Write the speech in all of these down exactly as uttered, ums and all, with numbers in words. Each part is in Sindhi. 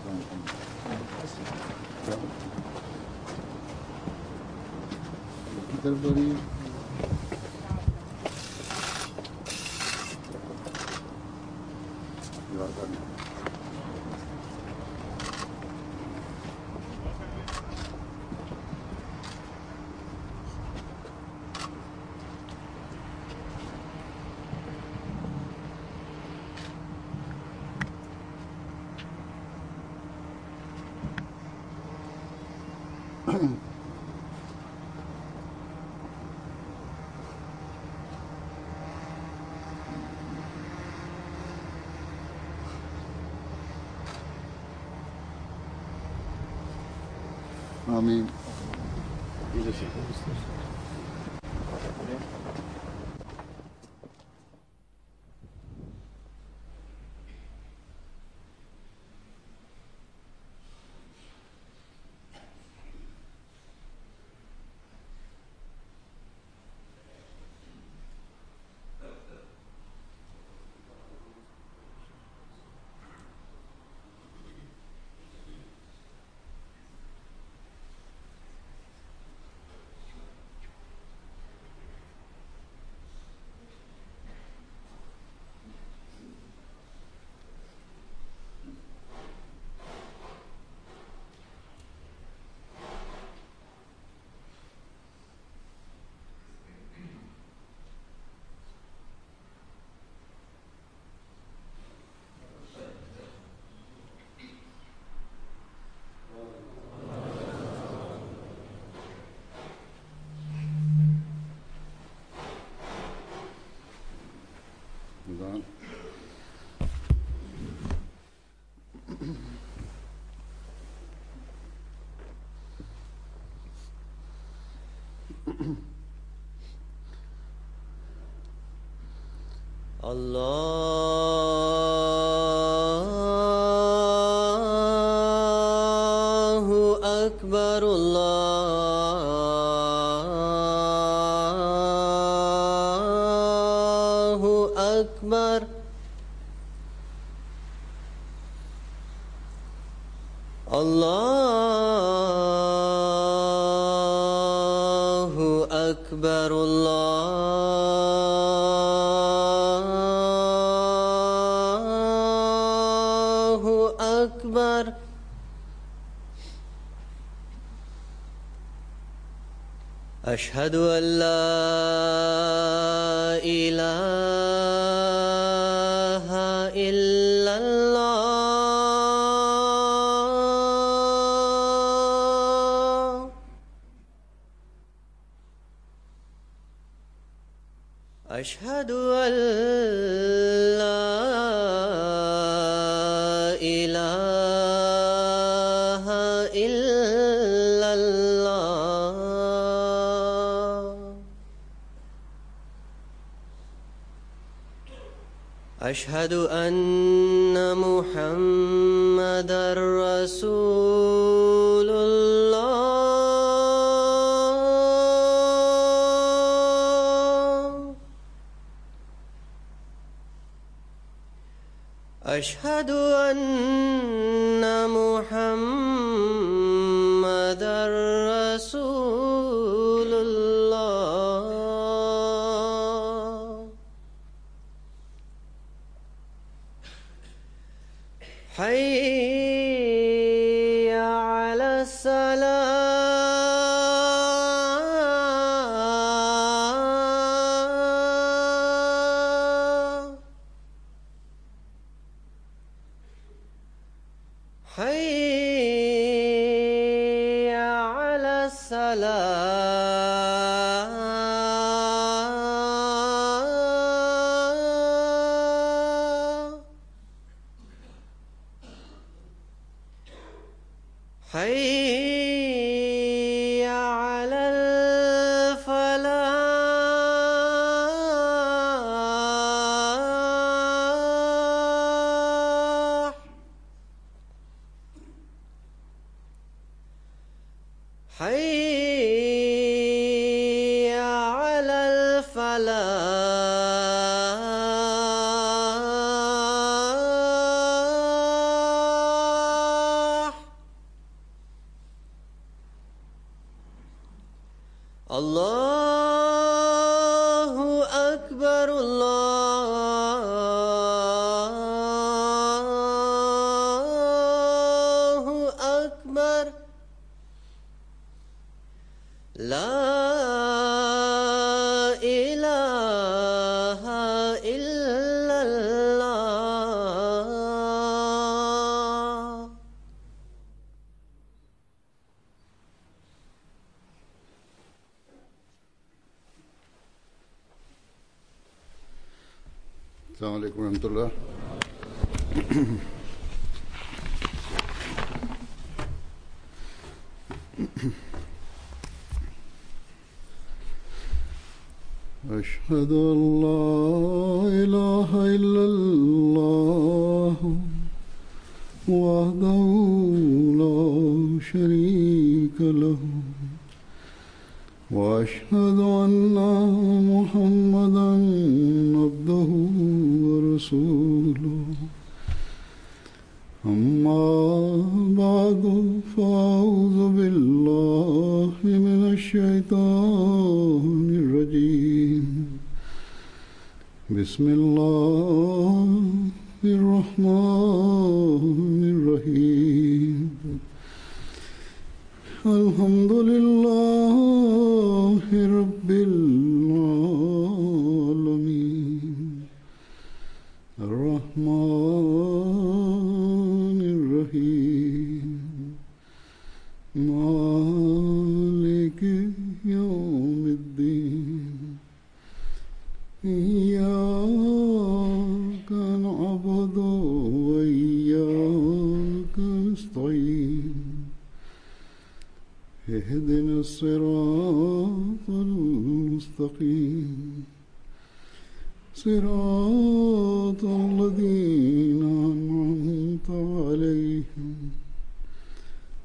की तरफ हो रही है। आमीन। Allahu Akbar, Allahu Akbar. Allahu Akbar, Allahu Akbar. أشهد أن لا إله إلا الله. أشهد أن لا إله إلا الله. أشهد أن محمدا رسول الله. أشهد أن محمدا رسول الله. حي على الصلاة. حي على الصلاة. حي على الفلاح. حي على الفلاح. الله أكبر الله أكبر لا إله إلا الله. السلام عليكم ورحمة الله. أشهد أن لا إله إلا الله وحده لا شريك له وأشهد أن محمدا عبده ورسوله. أما بعد فأعوذ بالله من الشيطان الرجيم. بسم الله الرحمن الرحيم. الحمد لله رب العالمين الرحمن الرحيم مالك يوم الدين إياك نعبد وإياك نستعين اهدنا الصراط المستقيم صراط الذين أنعمت عليهم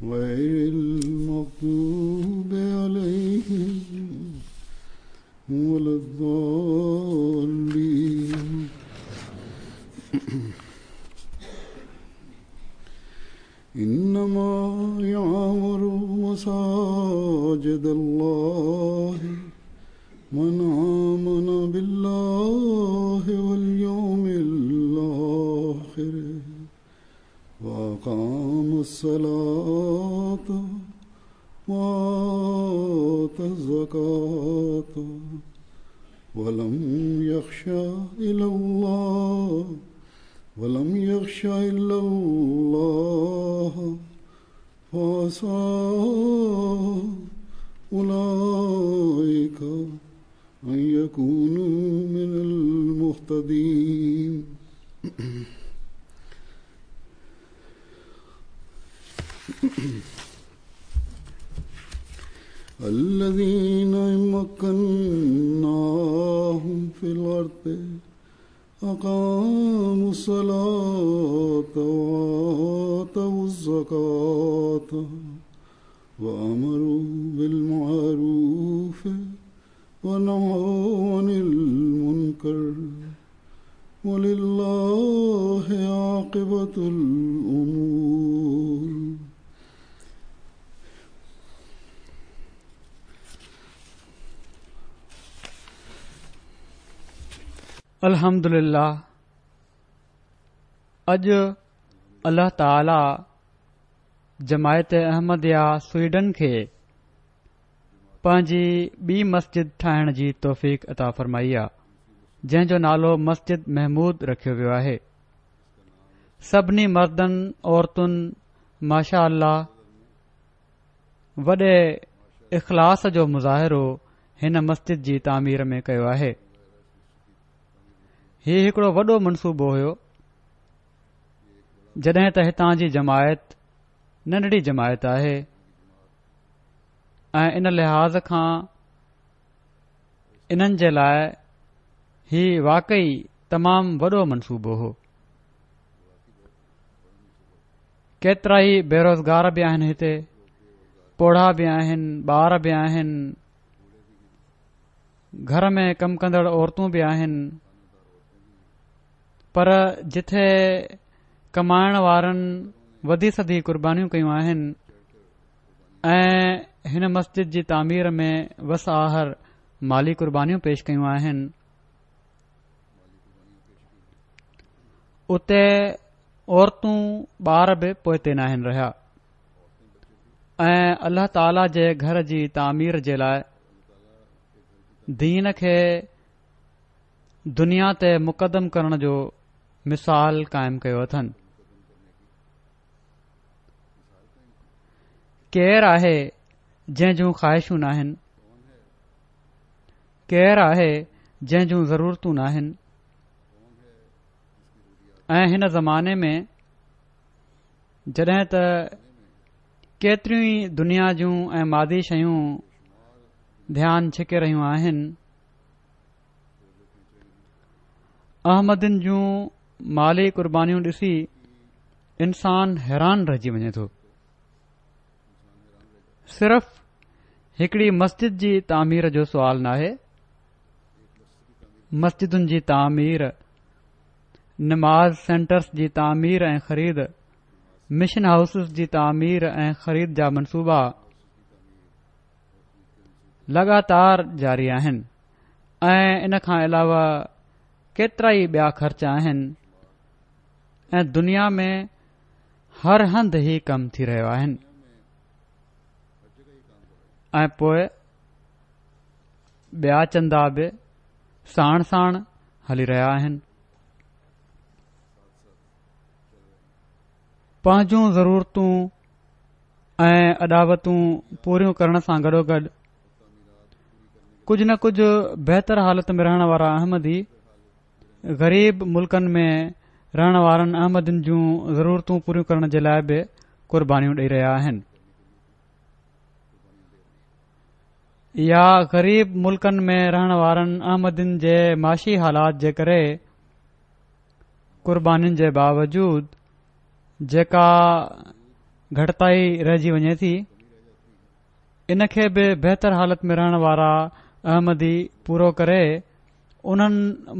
غير المغضوب عليهم ولا الضالين. إنما يعمر مساجد الله من آمن بالله واليوم الآخر وأقام الصلاة وآتى الزكاة ولم يخش إلا الله ولم يخش إلا الله فعسى أولئك أن يكونوا من المهتدين. الذين إن مكناهم في الأرض أقاموا الصلاة وآتوا الزكاة وأمروا بالمعروف ونهوا عن المنكر ولله عاقبة الأمور. अल्हम्दुलिल्लाह, अॼु अलाह ताला जमायत अहमदिया स्वीडन खे पंहिंजी ॿी मस्जिद ठाहिण जी तौफ़ीक अता फरमाई आहे, जंहिंजो नालो मस्जिद महमूद रखियो वियो आहे। सभिनी मर्दनि औरतुनि माशा अल्लाह वॾे इख़लास जो मुज़ाहिरो हिन मस्जिद जी तामीर में कयो आहे। ही हिकिड़ो वॾो मनसूबो हुयो, जॾहिं त हितां जी जमायत नंढड़ी जमायत आहे ऐं इन लिहाज़ खां इन्हनि जे लाइ ही वाकई तमामु वॾो मनसूबो हो। केतिरा ई बेरोज़गार बि आहिनि हिते, पोढ़ा बि आहिनि, ॿार बि आहिनि, घर में कमु कंदड़ औरतूं बि आहिनि, पर जिथे कमाइण वारनि वधी सधी कुर्बानियूं कयूं आहिनि ऐं هن مسجد جي تعمير ۾ وس آهر مالي قربانيون پيش ڪيون آهن، اتي عورتون ٻار به پوئتي ناهن رهيا ۽ الله تعاليٰ جي گهر جي تعمير جي لاء دين کي دنيا تي مقدم ڪرڻ جو مثال قائم ڪيو اٿن. ڪير آهي جنهن جون خواهشون ناهن؟ ڪير آهي جنهن جون ضرورتون ناهن؟ ۽ هن زماني ۾ جڏهن ته ڪيتريون ئي دنيا جون ۽ مادي شيون ڌيان ڇڪي رهيون آهن، احمدين جون مالي قربانيون ڏسي انسان حيران رهجي وڃي ٿو. صرف هڪڙي مسجد جي تعمير جو سوال ناهي، مسجدن جي تعمير، نماز سينٽرز جي تعمير ۽ خريد، مشن هائوسز جي تعمير ۽ خريد جا منصوبا لڳاتار جاري آهن ۽ ان کان علاوه ڪيترائي ٻيا خرچ آهن ۽ دنيا ۾ هر هنڌ هي ڪم ٿي رهيو آهن. ۽ پوء ٻيا چندا به ساڻ ساڻ هلي رهيا آهن. پنهنجون ضرورتون ۽ اڏاوتون پوريون ڪرڻ سان گڏوگڏ ڪجهه نه ڪجهه بهتر حالت ۾ رهڻ وارا احمدي غريب ملڪن ۾ رهڻ وارن احمدين جون ضرورتون پوريون ڪرڻ جي لاء به قربانيون ڏئي رهيا آهن، يا غريب ملڪن ۾ رهڻ وارن احمدين جي معاشي حالات جي ڪري قربانين جي باوجود جيڪا گهٽتائي رهجي وڃي ٿي، ان کي به بهتر حالت ۾ رهڻ وارا احمدي پورو ڪري انهن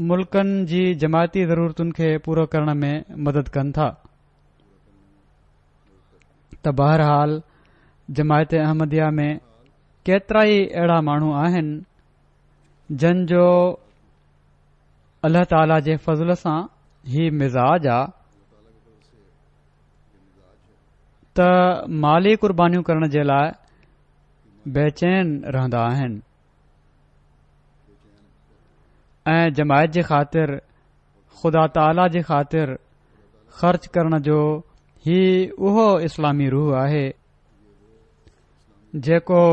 ملڪن جي جماعتي ضرورتن کي پورو ڪرڻ ۾ مدد ڪن ٿا. ته بهرحال جماعت احمديه ۾ ڪيترائي اهڙا ماڻهو آهن جن جو الله تعاليٰ جي فضل سان هي مزاج آ ته مالي قربانيون ڪرڻ جي لاء بيچين رهندا آهن ۽ جماعت جي خاطر، خدا تعاليٰ جي خاطر خرچ ڪرڻ جو هي اهو اسلامي روح آهي جيڪو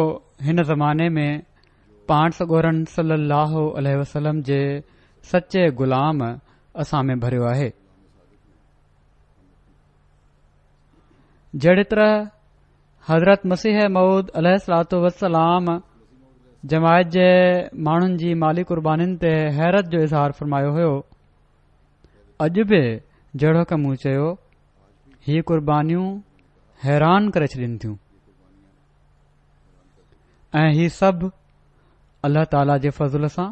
هن زماني ۾ پاڻ سڳورن صلي الله عليه وسلم جي سچي غلام اسان ۾ ڀريو آهي. جهڙي طرح حضرت مسيح موعود عليه الصلوة والسلام جماعت جي ماڻهن جي مالي قربانين تي حيرت جو اظهار فرمايو هيو، اڄ به جهڙوڪ مون چيو هي قربانيون حيران ڪري ڇڏين ٿيون ۽ هي سڀ الله تعاليٰ جي فضل سان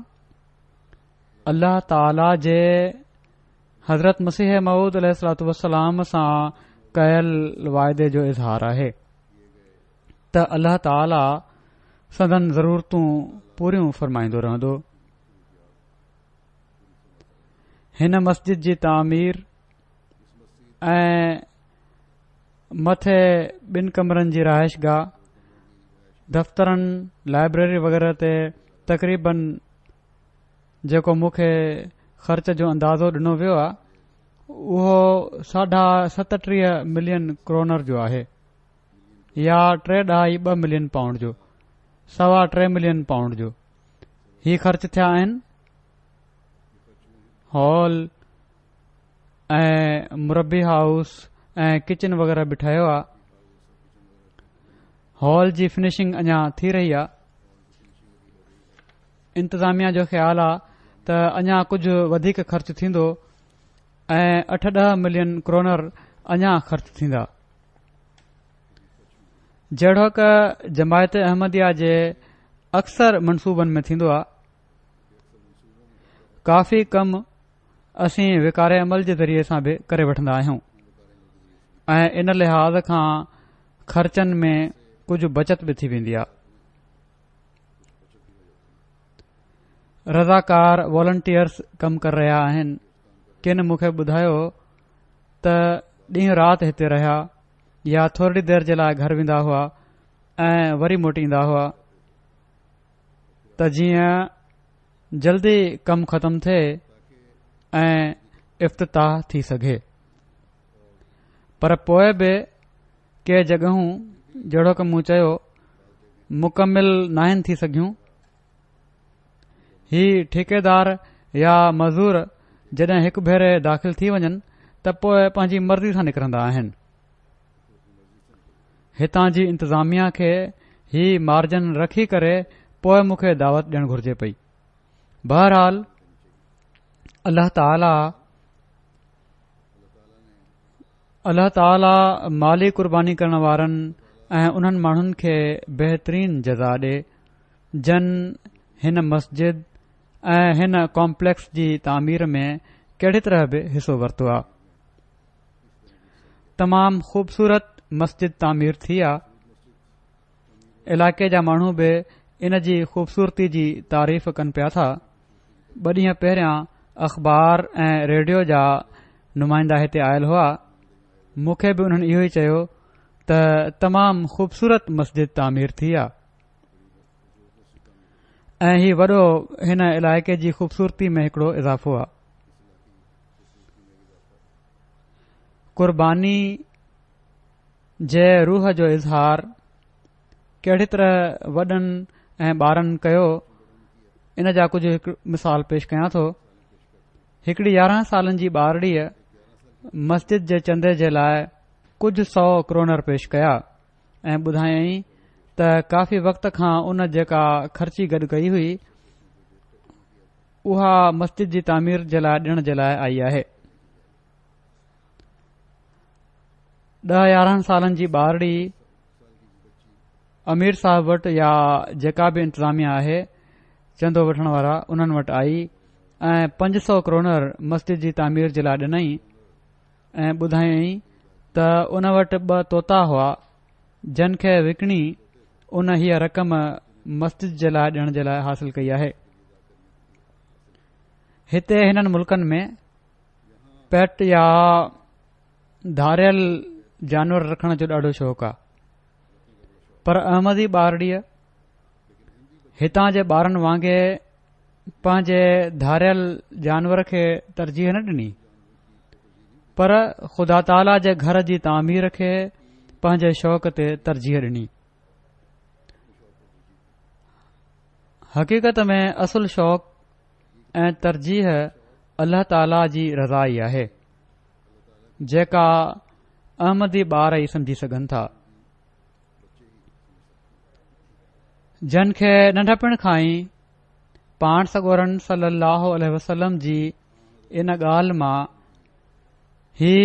الله تعاليٰ جي حضرت مسيح موعود عليه الصلوة والسلام سان ڪيل واعدي جو اظهار آهي ته الله تعاليٰ سندن ضرورتون پوريون فرمائيندو رهندو. هن مسجد جي تعمير ۽ مٿي ٻن ڪمرن جي رهائش گاهه، دفترن، لائبريري وغيره تي تقريباً جيڪو مون کي خرچ جو اندازو ڏنو ويو آهي اهو ساڍا ستٽيهه ملين ڪرونر جو آهي يا ٽي ڏهائي ٻه ملين پائونڊ جو، سوا ٽي ملين پائونڊ جو هي خرچ ٿيا آهن. هال ۽ مربي هائوس ۽ ڪچن وغيره به ٺهيو آهي. هال جي فنشنگ اڃا ٿي رهي آهي. انتظاميا جو خيال آهي ته اڃا ڪجهه وڌيڪ خرچ ٿيندو ۽ اٺ ڏهه ملين ڪرونر اڃا خرچ ٿيندا. جهڙوڪ جماعت احمديه جي اڪثر منصوبن ۾ ٿيندو آهي، ڪافي ڪم اسين وقار عمل جي ذريعي سان به ڪري وٺندا آهيون ۽ ان لحاظ کان خرچن ۾ ڪجهه بچت به ٿي ويندي آهي. رضاڪار والنٽيئرس ڪم ڪري رهيا آهن. ڪن مون کي ٻڌايو ته ڏينهن رات هتي رهيا يا ٿورڙي دير جي لاء گهر ويندا هئا ۽ وري موٽي ايندا هئا ته جيئن جلدي ڪم ختم ٿئي ۽ افتتاح ٿي سگهي. پر پوء به ڪي جڳهون جهڙوڪ مون چيو مڪمل ناهن ٿي سگهيون. هي ٺيڪيدار يا مزور جڏهن هڪ ڀيري داخل ٿي وڃن ته پوء پنهنجي مرضي سان نڪرندا آهن. هتان جي انتظاميا کي هي مارجن رکي ڪري پوء مون کي دعوت ڏيڻ گهرجي پئي. بهرحال الله تعاليٰ الله تعاليٰ مالي قرباني ڪرڻ وارن ۽ انهن ماڻهن کي بهترين جزا ڏي جن هن مسجد ۽ هن ڪامپليڪس جي تعمير ۾ ڪهڙي طرح به حصو ورتو آ. تمام خوبصورت مسجد تعمير ٿي آ. علائقي جا ماڻهو به ان جي خوبصورتي جي تعريف ڪن پيا ٿا. ٻه ڏينهن پهريان اخبار ۽ ريڊيو جا نمائندا هتي آيل هئا. مون کي به انهن اهو ئي چيو ته تمام خوبصورت مسجد تعمير ٿي آ ۽ هي وڏو هن علائقي جي خوبصورتي ۾ هڪڙو اضافو آ. قرباني جي روح جو اظهار ڪهڙي طرح وڏن ۽ ٻارن ڪيو ان جا ڪجهه هڪ مثال پيش ڪيان ٿو. هڪڙي يارهن سالن جي ٻارڙيء مسجد جي چندي جي لاء ڪجهه سؤ ڪرونر پيش ڪيا ۽ ٻڌايائين ته ڪافي وقت کان ان جيڪا خرچي گڏ ڪئي هئي اها مسجد جي تعمير جي لاء ڏيڻ جي لاء آئي آهي. ڏهه يارهن سالن جي ٻارڙي امير صاحب وٽ يا جيڪا به انتظاميا آهي چندو وٺڻ وارا انهن وٽ آئي ۽ پنج سؤ ڪرونر مسجد جي تعمير جي لاء ڏنائين ۽ ٻڌايائين ته ان وٽ ٻه طوطا هئا جن کي وڪڻي ان هيء رقم مسجد جي لاء ڏيڻ جي لاء حاصل ڪئي آهي. هتي هنن ملڪن ۾ پيٽ يا ڌاريل جانور رکڻ جو ڏاڍو شوق آ، پر احمدي ٻارڙيء هتان جي ٻارن وانگي پنهنجي ڌاريل جانور کي ترجيح نه ڏني، پر خدا تعاليٰ جي گهر جي تعمير کي پنهنجي شوق تي ترجيح ڏني. حقيقت ۾ اصل شوق ۽ ترجيح الله تعاليٰ جي رضا ئي آهي، جيڪا احمدي ٻار ئي سمجهي سگهن ٿا. جن کي ننڍپڻ کان ئي پاڻ سڳورن صلي الله عليه وسلم جي ان ڳالهه مان هي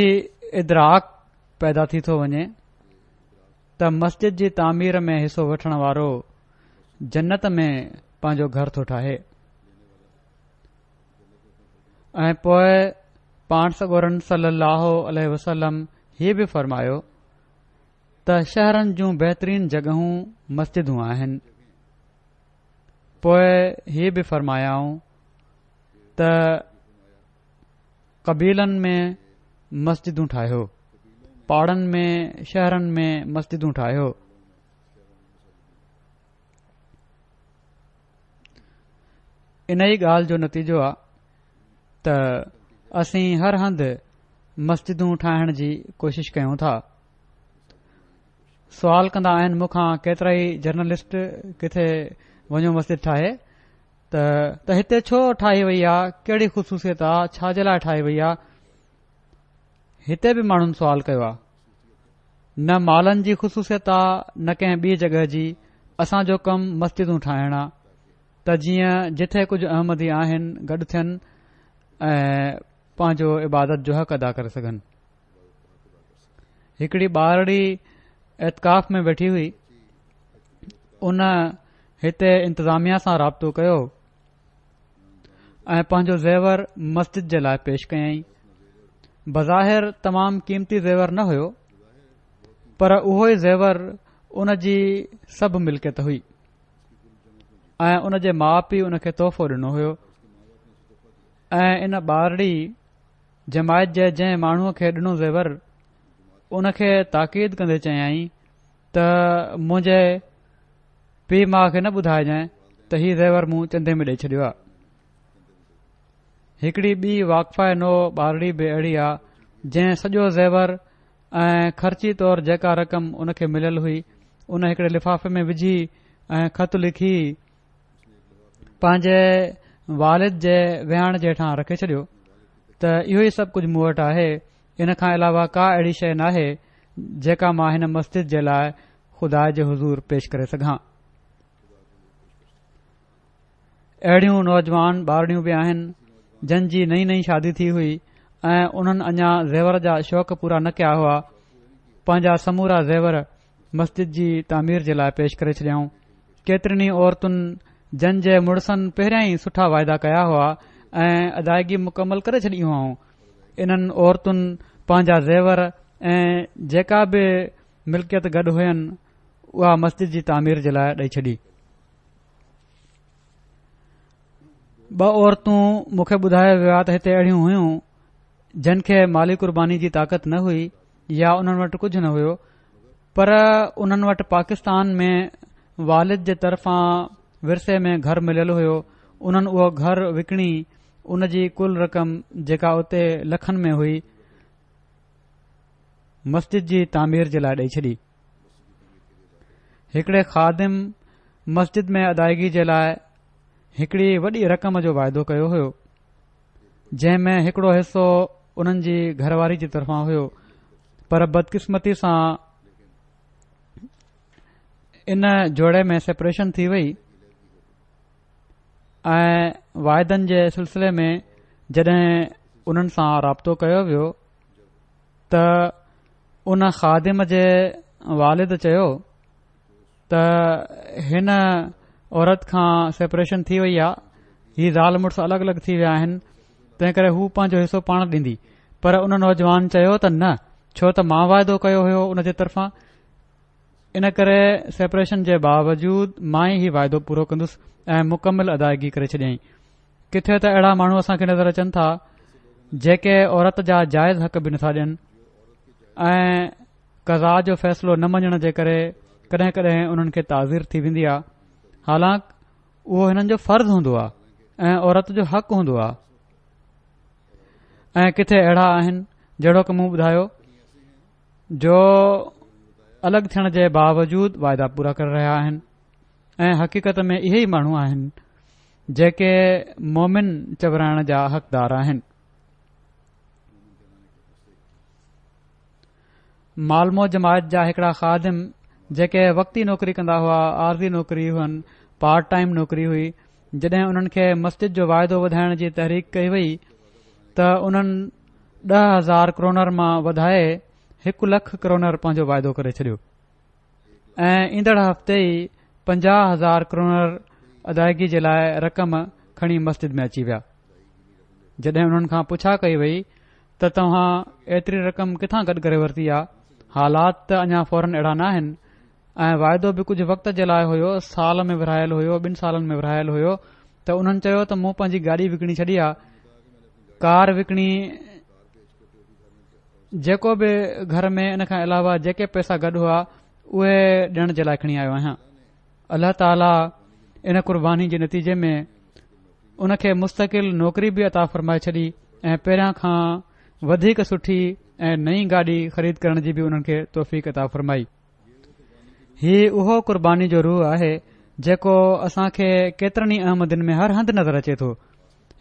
ادراڪ پيدا ٿي ٿو وڃي ته مسجد جي تعمير ۾ حصو وٺڻ وارو جنت ۾ پنهنجو گهر ٿو ٺاهي. ۽ پوء پاڻ سڳورن صلي الله عليه وسلم هي به فرمايو ته شهرن جون بهترين جڳهون مسجدون آهن. پوء هي به فرمايائون ته قبيلن ۾ مسجدون ٺاهيو، پاڙن ۾ شهرن ۾ مسجدون ٺاهيو. ان ئي ڳالهه جو نتيجو آ ته اسين هر هنڌ مسجدون ٺاهڻ جي ڪوشش ڪيون ٿا. سوال ڪندا آهن مون کان ڪيترا ئي جرنلسٽ ڪٿي وڃو مسجد ٺاهي ته، ته هتي ڇو ٺاهي وئي آ، ڪهڙي خصوصيت آ، ڇا جي لاء ٺاهي وئي آ؟ هتي به ماڻهن سوال ڪيو آ. نه مالن جي خصوصيت آ نه ڪنهن ٻي جڳهه جي. اسان جو ڪم مسجدون ٺاهڻ آ ته جيئن جٿي ڪجهه احمدي آهن گڏ ٿين ۽ پنهنجو عبادت جو حق ادا ڪري سگهن. هڪڙي ٻارڙي اعتڪاف ۾ ويٺي هئي، ان هتي انتظاميا سان رابطو ڪيو ۽ پنهنجو زيور مسجد جي لاء پيش ڪيائين. بظاهر تمام قيمتي زيور نه هيو، پر اهو ئي زيور ان جي سڀ ملڪيت هئي ۽ ان جي ماءُ پيءُ ان کي تحفو ڏنو هيو ۽ ان ٻارڙي جماعت جي جنهن ماڻهوء کي ڏنو زيور ان کي تاڪيد ڪندي چيائين ته منهنجي پيءُ ماءُ کي نه ٻڌائجانء ته هي زيور مون چندي ۾ ڏئي ڇڏيو آهي. هڪڙي ٻي واقفه نو ٻارڙي به اهڙي آهي جنهن سڄو زيور ۽ خرچي طور جيڪا رقم ان کي مليل هئي ان هڪڙي لفافي ۾ وجهي ۽ خط لکي پنهنجي والد جي ويهاڻ جي هيٺان رکي ڇڏيو ته اهو ئي سڀ ڪجهه مون وٽ آهي، ان کان علاوه ڪا اهڙي شيء ناهي جيڪا مان هن مسجد جي لاء خدا جي حضور پيش ڪري سگهان. اهڙيون نوجوان ٻارڙيون به آهن جن جي نئين نئين شادي ٿي هئي ۽ انهن اڃا زيور جا شوق پورا نه ڪيا هئا، پنهنجا سمورا زيور مسجد جي تعمير جي لاء پيش ڪري ڇڏيائون. ڪيترين ئي عورتن جن جي مڙسن پهريان ئي سٺا واعدا ڪيا هئا ۽ ادائگي مڪمل ڪري ڇڏي هئائون، انهن عورتن پنهنجا زيور ۽ جيڪا به ملڪيت گڏ هين اها مسجد جي تعمير جي لاء ڏئي ڇڏي. ٻه عورتون مون کي ٻڌايو ويو آهي ته هتي اهڙيون هيون جن کي مالي قرباني جي طاقت نه هئي يا انهن وٽ ڪجهه نه هيو، پر انهن وٽ پاڪستان ۾ والد جي طرفان ورثي ۾ گهر مليل هيو. انهن اهو گهر وڪڻي ان جي ڪل رقم جيڪا اتي لکن ۾ هئي مسجد جي تعمير جي لاء ڏئي ڇڏي. هڪڙي خادم مسجد ۾ ادائگي جي لاء هڪڙي وڏي رقم جو واعدو ڪيو هيو، جنهن ۾ هڪڙو حصو انهن جي گهر واري جي طرفان هيو، پر بدقسمتي سان ان جوڙي ۾ سيپريشن ٿي وئي ۽ واعدن جي سلسلي ۾ جڏهن انهن سان رابطو ڪيو ويو ته ان خادم جي والد چيو ته هن عورت کان سيپريشن ٿي وئي آ، هي زال مڙس الڳ الڳ ٿي ويا آهن، تنهن ڪري هو پنهنجو حصو پاڻ ڏيندي. پر ان نوجوان چيو ته نه، ڇو ته مان واعدو ڪيو هيو ان جي طرفان، ان ڪري سيپريشن جي باوجود مان ئي هي واعدو پورو ڪندس ۽ مڪمل ادائگي ڪري ڇڏيائين. ڪٿي ته اهڙا ماڻهو اسان کي نظر اچن ٿا جيڪي عورت جا جائز حق به نٿا ڏين ۽ قضا جو فيصلو نه مڃڻ جي ڪري ڪڏهن ڪڏهن انهن کي تعزير ٿي ويندي آ، حالانڪ اهو هنن جو فرض هوندو آ ۽ عورت جو حق هوندو آ. ۽ ڪٿي اهڙا آهن جهڙوڪ مون ٻڌايو جو الڳ ٿيڻ جي باوجود واعدا پورا ڪري رهيا آهن، ۽ حقيقت ۾ اهي ئي ماڻهو آهن جيڪي مومن چورائڻ جا حقدار آهن. مالمو جماعت جا هڪڙا خادم جيڪي وقتي نوڪري ڪندا هئا، عارضي نوڪري هئن، پارٽ ٽائيم نوڪري هئي، جڏهن انهن کي مسجد جو واعدو وڌائڻ جي تحريڪ ڪئي وئي ته انهن ڏهه هزار ڪرونر مان وڌائي هڪ لک ڪرونر پنهنجو واعدو ڪري ڇڏيو ۽ ايندڙ هفتي ئي پنجاهه هزار ڪرونر ادائگي جي لاء رقم کڻي مسجد ۾ اچي ويا. جڏهن انهن کان پڇا ڪئي وئي ته توهان ايتري رقم ڪٿان گڏ ڪري ورتي آ، حالات ته اڃا فوراً اهڙا نه آهن ۽ واعدو به ڪجهه وقت جي لاء هيو، سال ۾ ورهايل هيو، ٻن سالن ۾ ورهايل هيو، ته انهن چيو ته مون پنهنجي گاڏي وڪڻي ڇڏي آ، ڪار وڪڻي جيڪو به گهر ۾ ان کان علاوه جيڪي پئسا گڏ هئا اهي ڏيڻ جي لاء کڻي آيو آهيان. الله تعاليٰ ان قرباني جي نتيجي ۾ ان کي مستقل نوڪري به عطا فرمائي ڇڏي ۽ پهريان کان وڌيڪ سٺي ۽ نئين گاڏي خريد ڪرڻ جي به انهن کي توفيق عطا فرمائي. هي اهو قرباني جو روح آهي جيڪو اسان کي ڪيترن ئي احمدين ۾ هر هنڌ نظر اچي ٿو.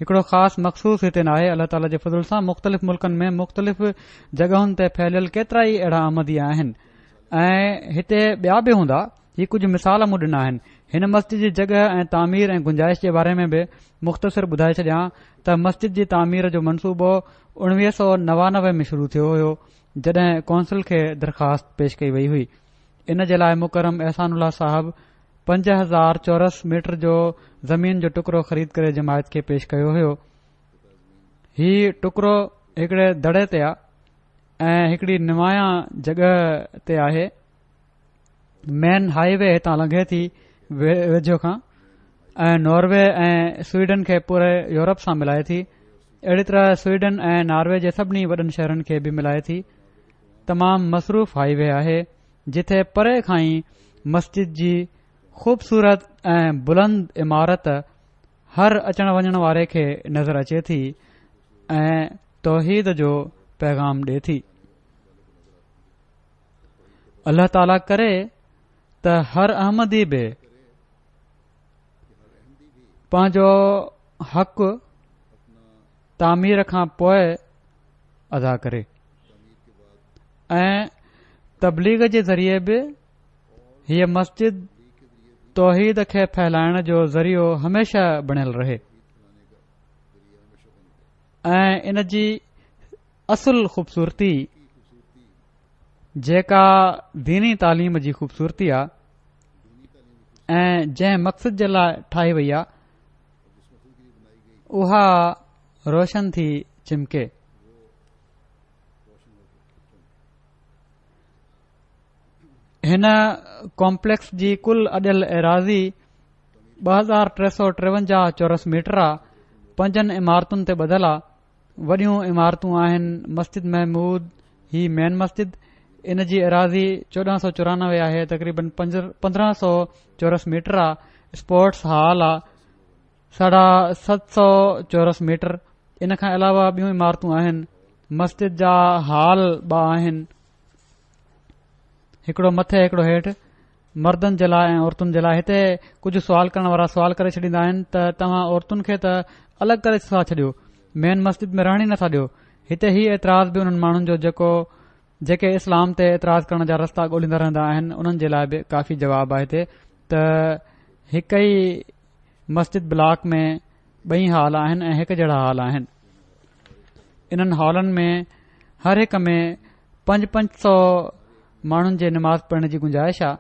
هڪڙو خاص مخصوص هتي ناهي، الله تعاليٰ جي فضل سان مختلف ملڪن ۾ مختلف جڳهن تي ڦهليل ڪيترا ئي اهڙا احمدي آهن ۽ هتي ٻيا به هوندا. هي ڪجهه مثال مون ڏنا آهن. هن مسجد جي جڳهه ۽ تعمير ۽ گنجائش جي باري ۾ به مختصر ٻڌائي ڇڏيان ته مسجد جي تعمير جو منصوبو اڻويهه سؤ نوانوي ۾ شروع ٿيو هيو، جڏهن ڪونسل کي درخواست پيش ڪئي وئي هئي. ان جي لاء مڪرم احسان الله صاحب پنج هزار چورس ميٽر جو زمين جو ٽڪرو خريد ڪري جماعت کي پيش ڪيو هيو. هي ٽڪرو هڪڙي دڙي تي آ ۽ هڪڙي نمايان جڳهه تي آهي. مين هائي وي هتان لنگهي ٿي ويجهو کان ۽ ناروي ۽ سوئيڊن کي پوري يورپ سان ملائي ٿي. اهڙي طرح سوئيڊن ۽ ناروي جي سڀني وڏن شهرن کي به ملائي ٿي. تمام مصروف هائي وي آهي جتي پري کان ئي مسجد جي خوبصورت ۽ بلند عمارت هر اچڻ وڃڻ واري کي نظر اچي ٿي ۽ توحيد جو پيغام ڏي ٿي. الله تعاليٰ ڪري ته هر احمدي به پنهنجو حق تعمير کان پوء ادا ڪري ۽ تبليغ جي ذريعي به هيء مسجد توحيد کي ڦهلائڻ جو ذريعو هميشه بڻيل رهي ۽ ان جي اصل خوبصورتي جيڪا ديني تعليم جي خوبصورتي آ ۽ جنهن مقصد جي لاء ٺاهي وئي آ اها روشن ٿي چمڪي. هن ڪامپليڪس جي ڪل اڏيل ايراضي ٻه هزار ٽي سؤ ٽيونجاهه چورس ميٽر آ. پنجن عمارتن تي ٻڌل آ. وڏيون عمارتون آهن مسجد محمود هي مين مسجد ان جي ايراضي چوڏهن سؤ چورانوي آهي، تقريبن پندرهن سؤ چورس ميٽر آ. اسپورٽس هال آ ساڍا ست سؤ چورس ميٽر. ان کان علاوه ٻيون عمارتون آهن. مسجد جا هال ٻه آهن، هڪڙو مٿي هڪڙو هيٺ، مردن جي لاء ۽ عورتن جي لاء. هتي ڪجهه سوال ڪرڻ وارا سوال ڪري ڇڏيندا آهن ته توهان عورتن کي ته الڳ ڪري ٿا ڇڏيو، مين مسجد ۾ رهڻ ئي نٿا ڏيو. هتي هي اعتراض به انهن ماڻهن جو جيڪو جيڪي اسلام تي اعتراض ڪرڻ جا رستا ڳولهيندا رهندا آهن انهن جي لاء به ڪافي جواب آهي هتي ته هڪ ئي مسجد بلاڪ ۾ ٻئي هال آهن ۽ هڪ جهڙا هال آهن. انهن هالن ۾ هر هڪ ۾ پنج پنج سؤ ماڻهن جي نماز پڙهڻ جي گنجائش آهي.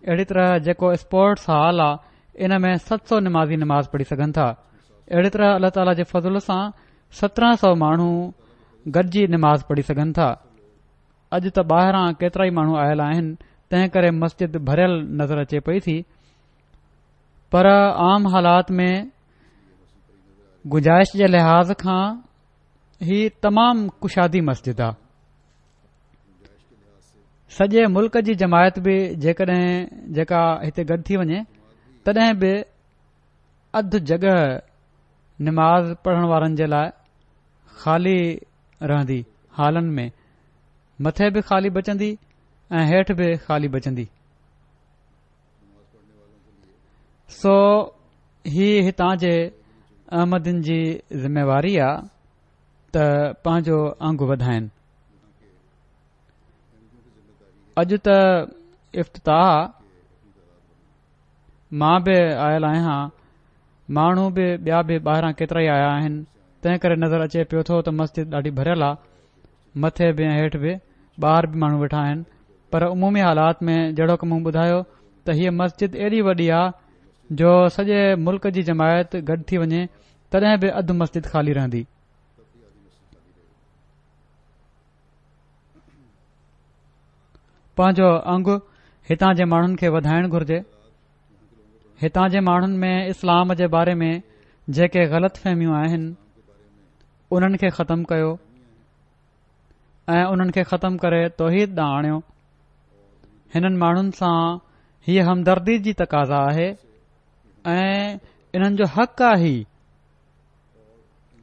اهڙي طرح جيڪو اسپورٽس هال آهي ان ۾ ست سؤ نمازي نماز پڙهي سگهن ٿا. اهڙي طرح الله تعاليٰ جي فضل سان سترهن سؤ ماڻهو گڏجي نماز پڙهي سگهن ٿا. اڄ ته ٻاهران ڪيترائي ماڻهو آيل آهن، تنهن ڪري مسجد ڀريل نظر اچي پئي ٿي، پر عام حالات ۾ گنجائش جي لحاظ کان هي تمام ڪشادي مسجد آ. سڄي ملڪ جي جماعت به جيڪڏهن جيڪا هتي گڏ ٿي وڃي تڏهن به اڌ جڳهه نماز پڙهڻ وارن جي لاء خالي رهندي. هالن ۾ مٿي به خالي بچندي ۽ هيٺ به خالي بچندي. سو هي هتان جي احمدين جي ذميواري آ ته پنهنجو انگ وڌائين. اڄ ته افتتاح مان به آيل آهيان، ماڻهو به ٻيا به ٻاهران ڪيترا ئي آيا آهن، تنهن ڪري نظر اچي پيو ٿو ته مسجد ڏاڍي ڀريل آ، مٿي به ۽ هيٺ به ٻاهر به ماڻهو ويٺا آهن. پر عمومي حالات ۾ جهڙوڪ مون ٻڌايو ته هيء مسجد ايڏي وڏي آ جو سڄي ملڪ جي جماعت گڏ ٿي وڃي تڏهن به اڌ مسجد خالي رهندي. پنهنجو انگ هتان جي ماڻهن کي وڌائڻ گهرجي. هتان جي ماڻهن ۾ اسلام جي باري ۾ جيڪي غلط فهميون آهن انهن کي ختم ڪيو ۽ انهن کي ختم ڪري توحيد ڏانهن آڻيو. هنن ماڻهن سان هيء همدردي جي تقاضا آهي ۽ انهن جو حق آهي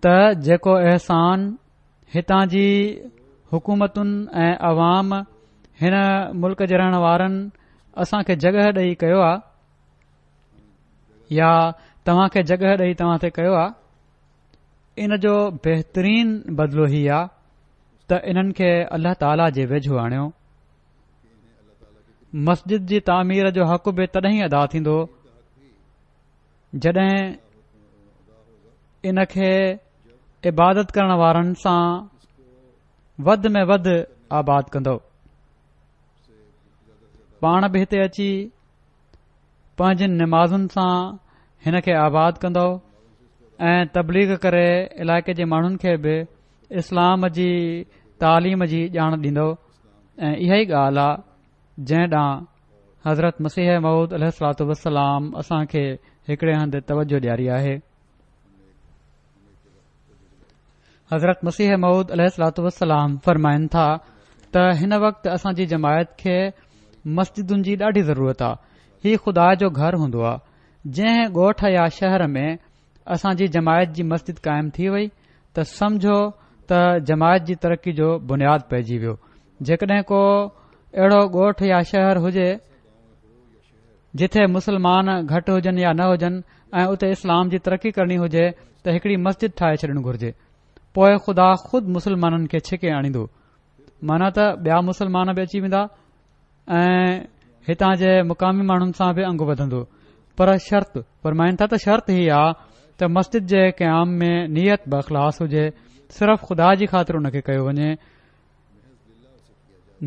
ته جيڪو احسان هتان جي حڪومتن ۽ عوام هن ملڪ جي رهڻ وارن اسان کي جڳهه ڏئي ڪيو آ يا توهان کي جڳهه ڏئي توهان تي ڪيو آ، ان جو بهترين بدلو هي آ ته انهن کي الله تعاليٰ جي ويجهو آڻيو. مسجد جي تعمير جو حق به تڏهن ئي ادا ٿيندو جڏهن ان کي عبادت ڪرڻ وارن سان وڌ ۾ وڌ آباد ڪندو. پاڻ به هتي اچي پنهنجن نمازن سان هن کي آباد ڪندو ۽ تبليغ ڪري علائقي جي ماڻهن کي به اسلام جي تعليم جي ڄاڻ ڏيندو. ۽ اها ئي ڳالهه آ جنهن ڏانهن حضرت مسيح موعود عليه الصلوة والسلام اسان کي هڪڙي هنڌ توجه ڏياري آهي. حضرت مسيح موعود عليه الصلوة والسلام فرمائن ٿا ته هن وقت اسان جي جماعت کي مسجدن جي ڏاڍي ضرورت آ. هي خدا جو گهر هوندو آ. جنهن ڳوٺ يا شهر ۾ اسان جي جماعت جي مسجد قائم ٿي وئي ته سمجهو ته جماعت جي ترقي جو بنياد پئجي ويو. جيڪڏهن ڪو اهڙو ڳوٺ يا شهر هجي جتي مسلمان گهٽ هجن يا نه هجن ۽ اتي اسلام جي ترقي ڪرڻي هجي ته هڪڙي مسجد ٺاهي ڇڏڻ گهرجي. پوءِ خدا خود مسلمانن کي ڇڪي آڻيندو، معنيٰ ته ٻيا مسلمان به اچي ويندا ۽ هتان جي مقامي ماڻهن سان به انگ وڌندو. پر شرط فرمائن ٿا ته شرط هي آ ته مسجد جي قيام ۾ نيت باخلاص هجي، صرف خدا جي خاطر ان کي ڪيو وڃي،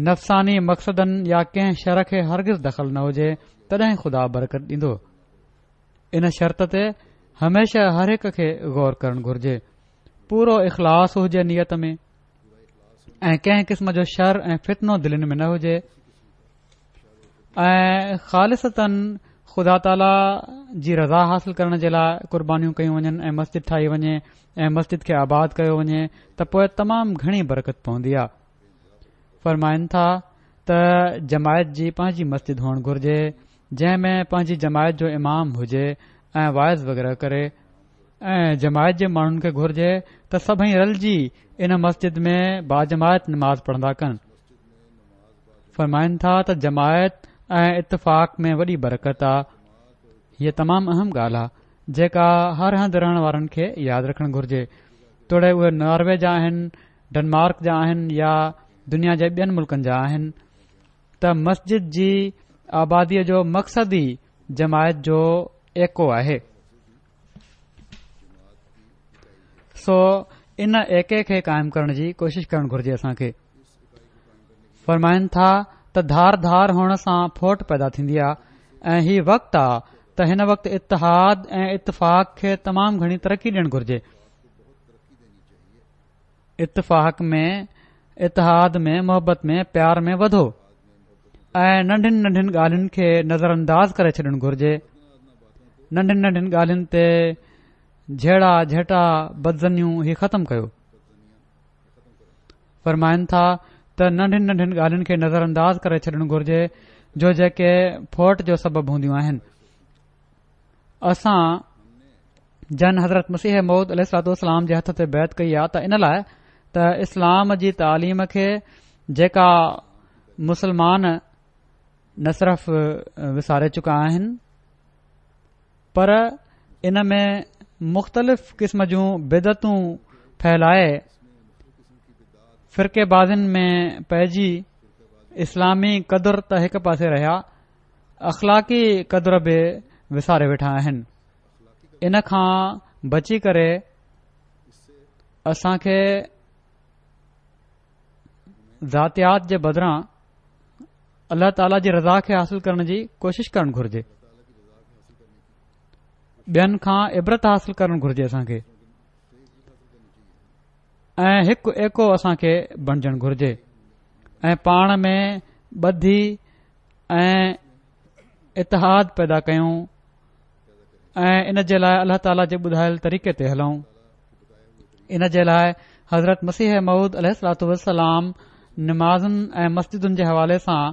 نفساني مقصدن يا ڪنهن شر کي هرگز دخل نه هجي، تڏهن خدا برڪت ڏيندو. ان شرط تي هميشه هر هڪ کي غور ڪرڻ گهرجي. پورو اخلاص هجي نيت ۾ ۽ ڪنهن قسم جو شر ۽ فتنو دلين ۾ نه هجي ۽ خالصتاً خدا تعاليٰ جي رضا حاصل ڪرڻ جي لاءِ قربانيون ڪيون وڃن ۽ مسجد ٺاهي وڃي ۽ مسجد کي آباد ڪيو وڃي ته پوءِ تمام گهڻي برڪت پوندي آ. فرمائن ٿا ته جماعت جي پنهنجي مسجد هئڻ گهرجي جنهن ۾ پنهنجي جماعت جو امام هجي ۽ واعظ وغيره ڪري، ۽ جماعت جي ماڻهن کي گهرجي ته سڀئي رلجي ان مسجد ۾ باجماعت نماز پڙهندا ڪن. فرمائن ٿا ته جماعت ۽ اتفاق ۾ وڏي برڪت آ. هيءَ تمام اهم ڳالهه آ جيڪا هر هنڌ رهڻ وارن کي ياد رکڻ گهرجي، توڙي اهي ناروي جا آهن، ڊنمارڪ جا آهن يا دنيا جي ٻين ملڪن جا آهن، ته مسجد جي آباديءَ جو مقصد ئي جماعت جو ايڪو آهي. سو ان ايڪي کي قائم ڪرڻ جي ڪوشش ڪرڻ گهرجي اسان کي. فرمائن ٿا ته ڌار ڌار هئڻ سان ڦوٽ پيدا ٿيندي آ ۽ هي وقت آ ته هن وقت اتحاد ۽ اتفاق کي تمام گهڻي ترقي ڏيڻ گهرجي. اتفاق ۾ اتحاد ۾ محبت ۾ پيار ۾ وڌو ۽ ننڍين ننڍين ڳالهين کي نظر انداز ڪري ڇڏڻ گهرجي. ننڍين ننڍين ڳالهين تي جهيڙا جهٽا بدظنيون هي ختم ڪيو. فرمائن ٿا ته ننڍين ننڍين ڳالهين کي نظر انداز ڪري ڇڏڻ گهرجي جو جيڪي ڦوٽ جو سبب هونديون آهن. اسان جن حضرت مسيح موعود عليه الصلوة والسلام جي هٿ تي بيعت ڪئي آ ته ان لاءِ ته اسلام جي تعليم کي جيڪا مسلمان نه صرف وساري چڪا آهن پر ان ۾ مختلف قسم جون بدعتون ڦهلائي فرقي بازين ۾ پئجي اسلامي قدر ته هڪ پاسي رهيا، اخلاقي قدر به وساري ويٺا آهن. ان کان بچي ڪري اسان کي ذاتيات جي بدران الله تعاليٰ جي رضا کي حاصل ڪرڻ جي ڪوشش ڪرڻ گهرجي، ٻين کان عبرت حاصل ڪرڻ گهرجي اسان کي ۽ هڪ ايڪو اسان کي بڻجڻ گهرجي ۽ پاڻ ۾ ٻڌي ۽ اتحاد پيدا ڪيون ۽ ان جي لاءِ الله تعاليٰ جي ٻڌايل طريقي تي هلون. ان جي لاءِ حضرت مسيح موعود عليه الصلوة والسلام نمازن ۽ مسجدن جي حوالي سان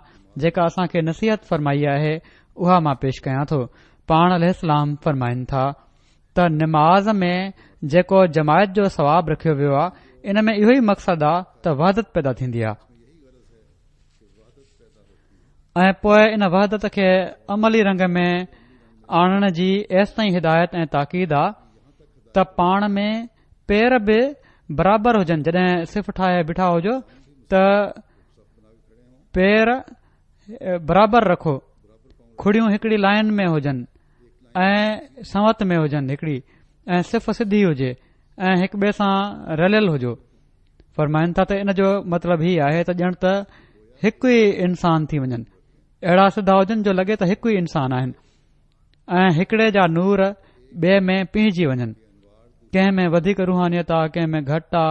جيڪا اسان کي نصيحت فرمائي آهي اها مان پيش ڪيان ٿو. پاڻ عليه السلام فرمائن ٿا ته نماز ۾ جيڪو جماعت جو ثواب رکيو ويو آ ان ۾ اهو ئي مقصد آ ته وحدت پيدا ٿيندي آ ۽ پوءِ ان وحدت کي عملي رنگ ۾ آڻڻ جي ايستائين هدايت ۽ تاڪيد آ ته پاڻ ۾ پير به برابر هجن. جڏهن صف ٺاهي بيٺا هجو ته پير برابر رکو، کڙيون هڪڙي لائن ۾ هجن ۽ سنوت ۾ هجن هڪڙي، ۽ صف سڌي هجي ۽ هڪ ٻئي سان رليل هجو. فرمائن ٿا ته ان جو مطلب هي آهي ته ڄڻ ته هڪ ئي انسان ٿي وڃن، اهڙا سڌا هجن جو لڳي ته هڪ ئي انسان آهن ۽ هڪڙي جا نور ٻئي ۾ پيهجي وڃن. ڪنهن ۾ وڌيڪ روحانيت آ، ڪنهن ۾ گهٽ آ.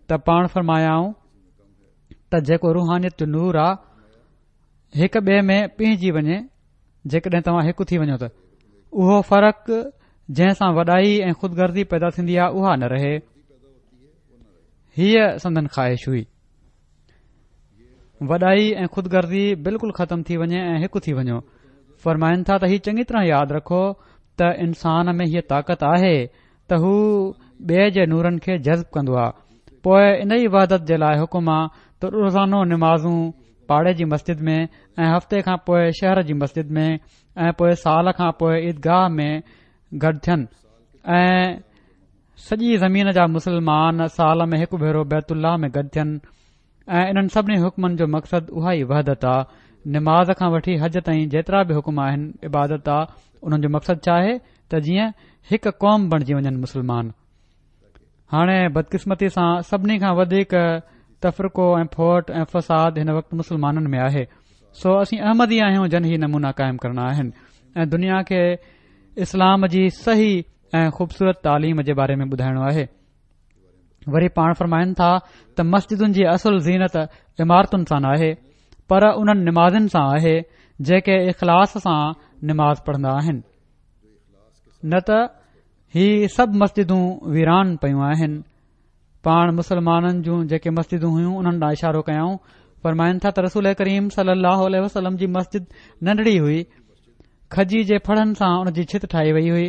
ته پاڻ فرمايائون ته جيڪو روحانيت جو نور آ هڪ ٻئي ۾ پيهجي وڃي جيڪڏهن توهان هڪ ٿي وڃو ته اهو فرق جنهن سان وڏائي ۽ خودغرضي پيدا ٿيندي آهي اها نه رهي. هيء سندن خواهش هئي. وڏائي ۽ خودغرضي بلڪل ختم ٿي وڃي ۽ هڪ ٿي وڃو. فرمائن ٿا ته هي چڱي طرح ياد رکو ته انسان ۾ هيء طاقت آهي ته هو ٻئي جي نورن کي جذب ڪندو آهي. پوء ان ئي وحدت جي لاء حڪم آ ته روزانو نمازون پاڙي جي مسجد ۾ ۽ هفتي کان پوء شهر جي مسجد ۾ ۽ پوء سال کان پوء عيدگاهه ۾ گڏ ٿين ۽ سڄي زمين جا مسلمان سال ۾ هڪ ڀيرو بيت الله ۾ گڏ ٿين. ۽ انهن سڀني حڪمن جو مقصد اها ئي وحدت آ. نماز کان وٺي حج تائين جيترا به حڪم آهن عبادت آ، انهن جو مقصد ڇا آهي ته جيئن هڪ قوم بڻجي وڃن مسلمان. هاڻي بدقسمتي سان سڀني کان وڌيڪ تفرقو ۽ ڦوٽ ۽ فساد هن وقت مسلمانن ۾ آهي. سو اسين احمدي آهيون جن هي نمونا قائم ڪرڻا آهن ۽ دنيا کي اسلام جي صحيح ۽ خوبصورت تعليم جي باري ۾ ٻڌائڻو آهي. وري پاڻ فرمائن ٿا ته مسجدن جي اصل زينت عمارتن سان ناهي پر انهن نمازن سان آهي جيڪي اخلاص سان نماز پڙهندا آهن، نه ته هي سڀ مسجدون ويران پيون آهن. پاڻ مسلمانن جون جيڪي مسجدون هيون انهن ڏانهن اشارو ڪيائون. فرمائن ٿا ته رسول ڪريم صلي الله عليه وسلم جي مسجد ننڍڙي هئي، کجي جي ڦڙن سان ان جي ڇت ٺاهي وئي هئي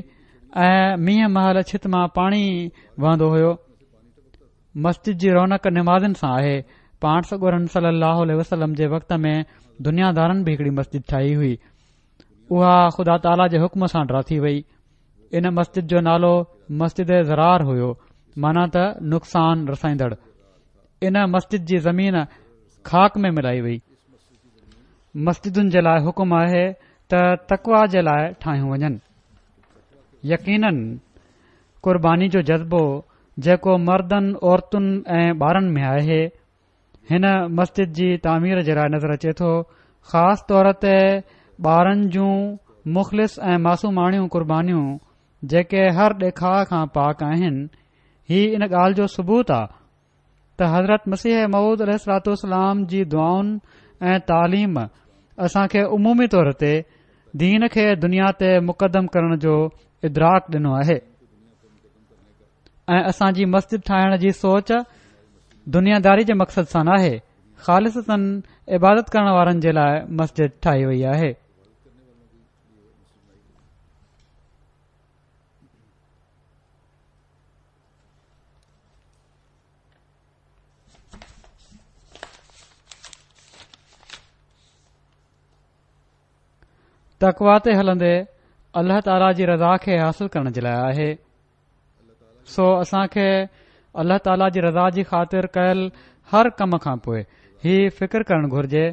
۽ مينهن مهل ڇت مان پاڻي وهندو هيو. مسجد جي رونق نمازن سان آهي. پاڻ سڳورن صلي الله عليه وسلم جي وقت ۾ دنيا دارن به هڪڙي مسجد ٺاهي هئي، اها خدا تعاليٰ جي حڪم سان ڊاٿي وئي. ان مسجد جو نالو مسجد ضرار هيو، معنيٰ ته نقصان رسائيندڙ. ان مسجد جي زمين خاڪ ۾ ملائي وئي. مسجدن جي لاء حڪم آهي ته تقويٰ جي لاء ٺاهيون وڃن. يقيناً قرباني جو جذبو جيڪو مردن، عورتن ۽ ٻارن ۾ آهي، هن مسجد جي تعمير جي لاء نظر اچي ٿو. خاص طور تي ٻارن جون مخلص ۽ معصوماڻيون قربانيون جيڪي هر ڏيکاء کان پاڪ آهن، هي ان ڳالهه جو ثبوت آ ته حضرت مسيح موعود عليه الصلوة والسلام جي دعائن ۽ تعليم اسان کي عمومي طور تي دين کي دنيا تي مقدم ڪرڻ جو ادراڪ ڏنو آهي ۽ اسان جي مسجد ٺاهڻ جي سوچ دنياداري جي مقصد سان ناهي، خالصتاً عبادت ڪرڻ وارن جي لاء مسجد ٺاهي وئي آهي. تقويٰ تي هلندي الله تعاليٰ جي رضا کي حاصل ڪرڻ جي لاء آهي. سو اسان کي الله تعاليٰ جي رضا جي خاطر ڪيل هر ڪم کان پوء هي فڪر ڪرڻ گهرجي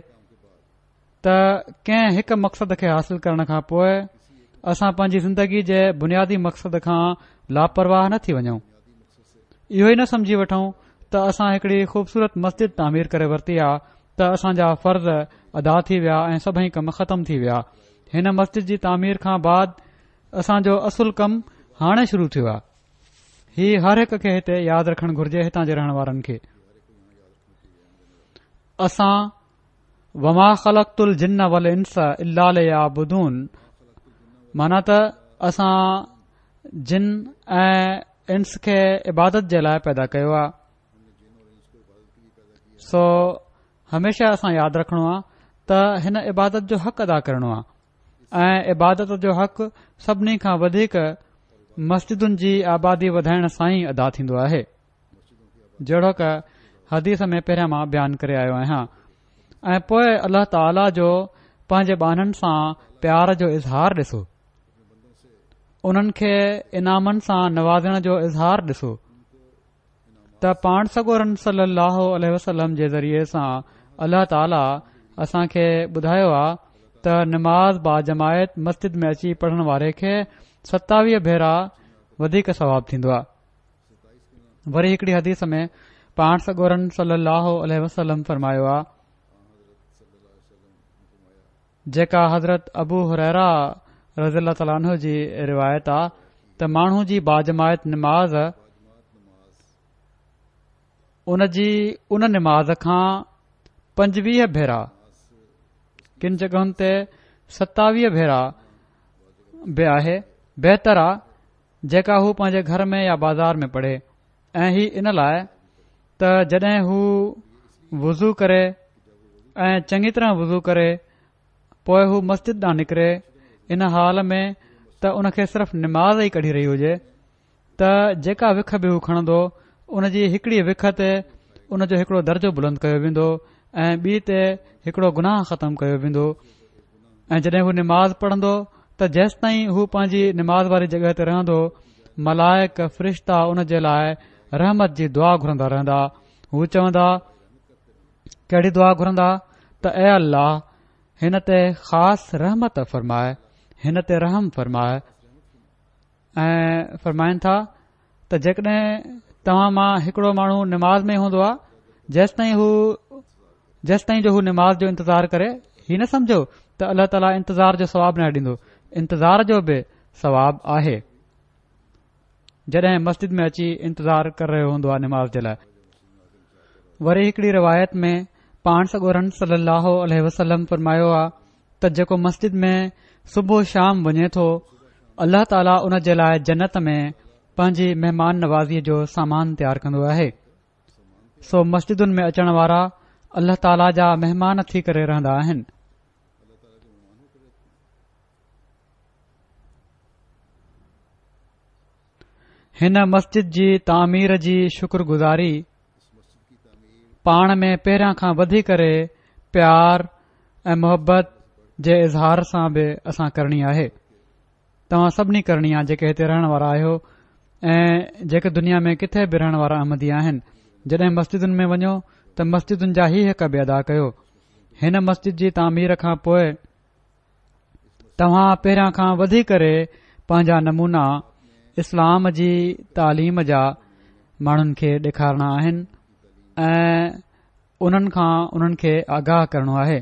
ته ڪنهن هڪ مقصد کي حاصل ڪرڻ کان پوء اسان پنهنجي زندگي جي بنيادي مقصد کان لاپرواهه نه ٿي وڃون. اهو ئي نه سمجهي وٺون ته اسان هڪڙي خوبصورت مسجد تعمير ڪري ورتي آ ته اسان جا فرض ادا ٿي ويا ۽ سڀئي ڪم ختم ٿي ويا. هن مسجد جي تعمير کان بعد اسان جو اصل ڪم هاڻي شروع ٿيو آ. هي هر هڪ کي هتي ياد رکڻ گهرجي، هتان جي رهڻ وارن کي. اسان وما خلقت الجن والانس الا ليعبدون، معنيٰ ته اسان جن ۽ انس کي عبادت جي لاء پيدا ڪيو آ. سو هميشه اسان ياد رکڻو آ ته هن عبادت جو حق ادا ڪرڻو آ ۽ عبادت جو حق سڀني کان وڌيڪ مسجدن جي آبادي وڌائڻ سان ئي ادا ٿيندو آهي، جهڙوڪ حديث ۾ پهريان مان بيان ڪري آيو آهيان. ۽ پوء الله تعاليٰ جو پنهنجي ٻانهن سان پيار جو اظهار ڏسو، انهن کي انعامن سان نوازڻ جو اظهار ڏسو ته پاڻ سڳورن صلي الله عليه وسلم جي ذريعي سان الله تعاليٰ اسان کي ٻڌايو آ ته نماز باجماعت مسجد ۾ اچي پڙهڻ واري کي ستاويهه ڀيرا وڌيڪ ثواب ٿيندو آ. وري هڪڙي حديث ۾ پاڻ سڳورن صلي الله عليه وسلم فرمايو آ، جيڪا حضرت ابو هريره رضي الله تعاليٰ عنه جي روايت آ ته ماڻهو جي باجماعت نماز ان جي ان نماز کان پنجويهه ڀيرا، ڪن جڳهن تي ستاويهه ڀيرا به آهي، بهتر آ جيڪا هو پنهنجي گهر ۾ يا بازار ۾ پڙهي. ۽ هي ان لاء ته جڏهن هو وضو ڪري ۽ چڱي طرح وضو ڪري پوءِ هو مسجد ڏانهن نڪري ان حال ۾ ته ان کي صرف نماز ئي ڪڍي رهي هجي ته جيڪا وک به هو کڻندو ان جي هڪڙي وک تي ان جو هڪڙو درجو بلند ڪيو ويندو ۽ ٻي تي هڪڙو گناهه ختم ڪيو ويندو. ۽ جڏهن هو نماز پڙهندو ته جيستائين هو پنهنجي نماز واري جڳهه تي رهندو ملائڪ فرشتا ان جي لاءِ رحمت جي دعا گهرندا رهندا. هو چوندا، ڪهڙي دعا گهرندا؟ ته اي الله هن تي خاص رحمت فرمائي، هن تي رحم فرمائي. ۽ فرمائن ٿا ته جيڪڏهن توهان مان هڪڙو ماڻهو نماز ۾ هوندو آهي جيستائين هو جيستائين جو هو نماز جو انتظار ڪري، هي نه سمجهو ته الله تعاليٰ انتظار جو ثواب نه ڏيندو، انتظار جو به ثواب آهي. جڏهن مسجد ۾ اچي انتظار ڪري رهيو هوندو آهي نماز جي لاءِ. وري هڪڙي روايت ۾ پاڻ سڳورن صلي الله عليه وسلم فرمايو آهي ته جيڪو مسجد ۾ صبح شام وڃي ٿو الله تعاليٰ ان جي لاءِ جنت ۾ پنهنجي مهمان نوازيءَ جو سامان تيار ڪندو آهي. سو مسجدن ۾ اچڻ وارا الله تعاليٰ جا مهمان ٿي ڪري رهندا آهن. هن مسجد جي تعمير جي شڪر گذاري پاڻ ۾ پهريان کان وڌي ڪري پيار ۽ محبت جي اظهار سان به اسان ڪرڻي آهي. توهان سڀني ڪرڻي آهي جيڪي هتي رهڻ وارا آهيو ۽ جيڪي دنيا ۾ ڪٿي به رهڻ وارا احمدي آهن. جڏهن مسجدن ۾ وڃو ته مسجدن جا هي حق به ادا ڪيو. هن مسجد جي تعمير کان پوءِ توهان پهريان کان وڌي ڪري پنهنجا نمونا اسلام جي تعليم جا ماڻهن کي ڏيکارڻا آهن ۽ انهن کان انهن کي آگاهه ڪرڻو آهي.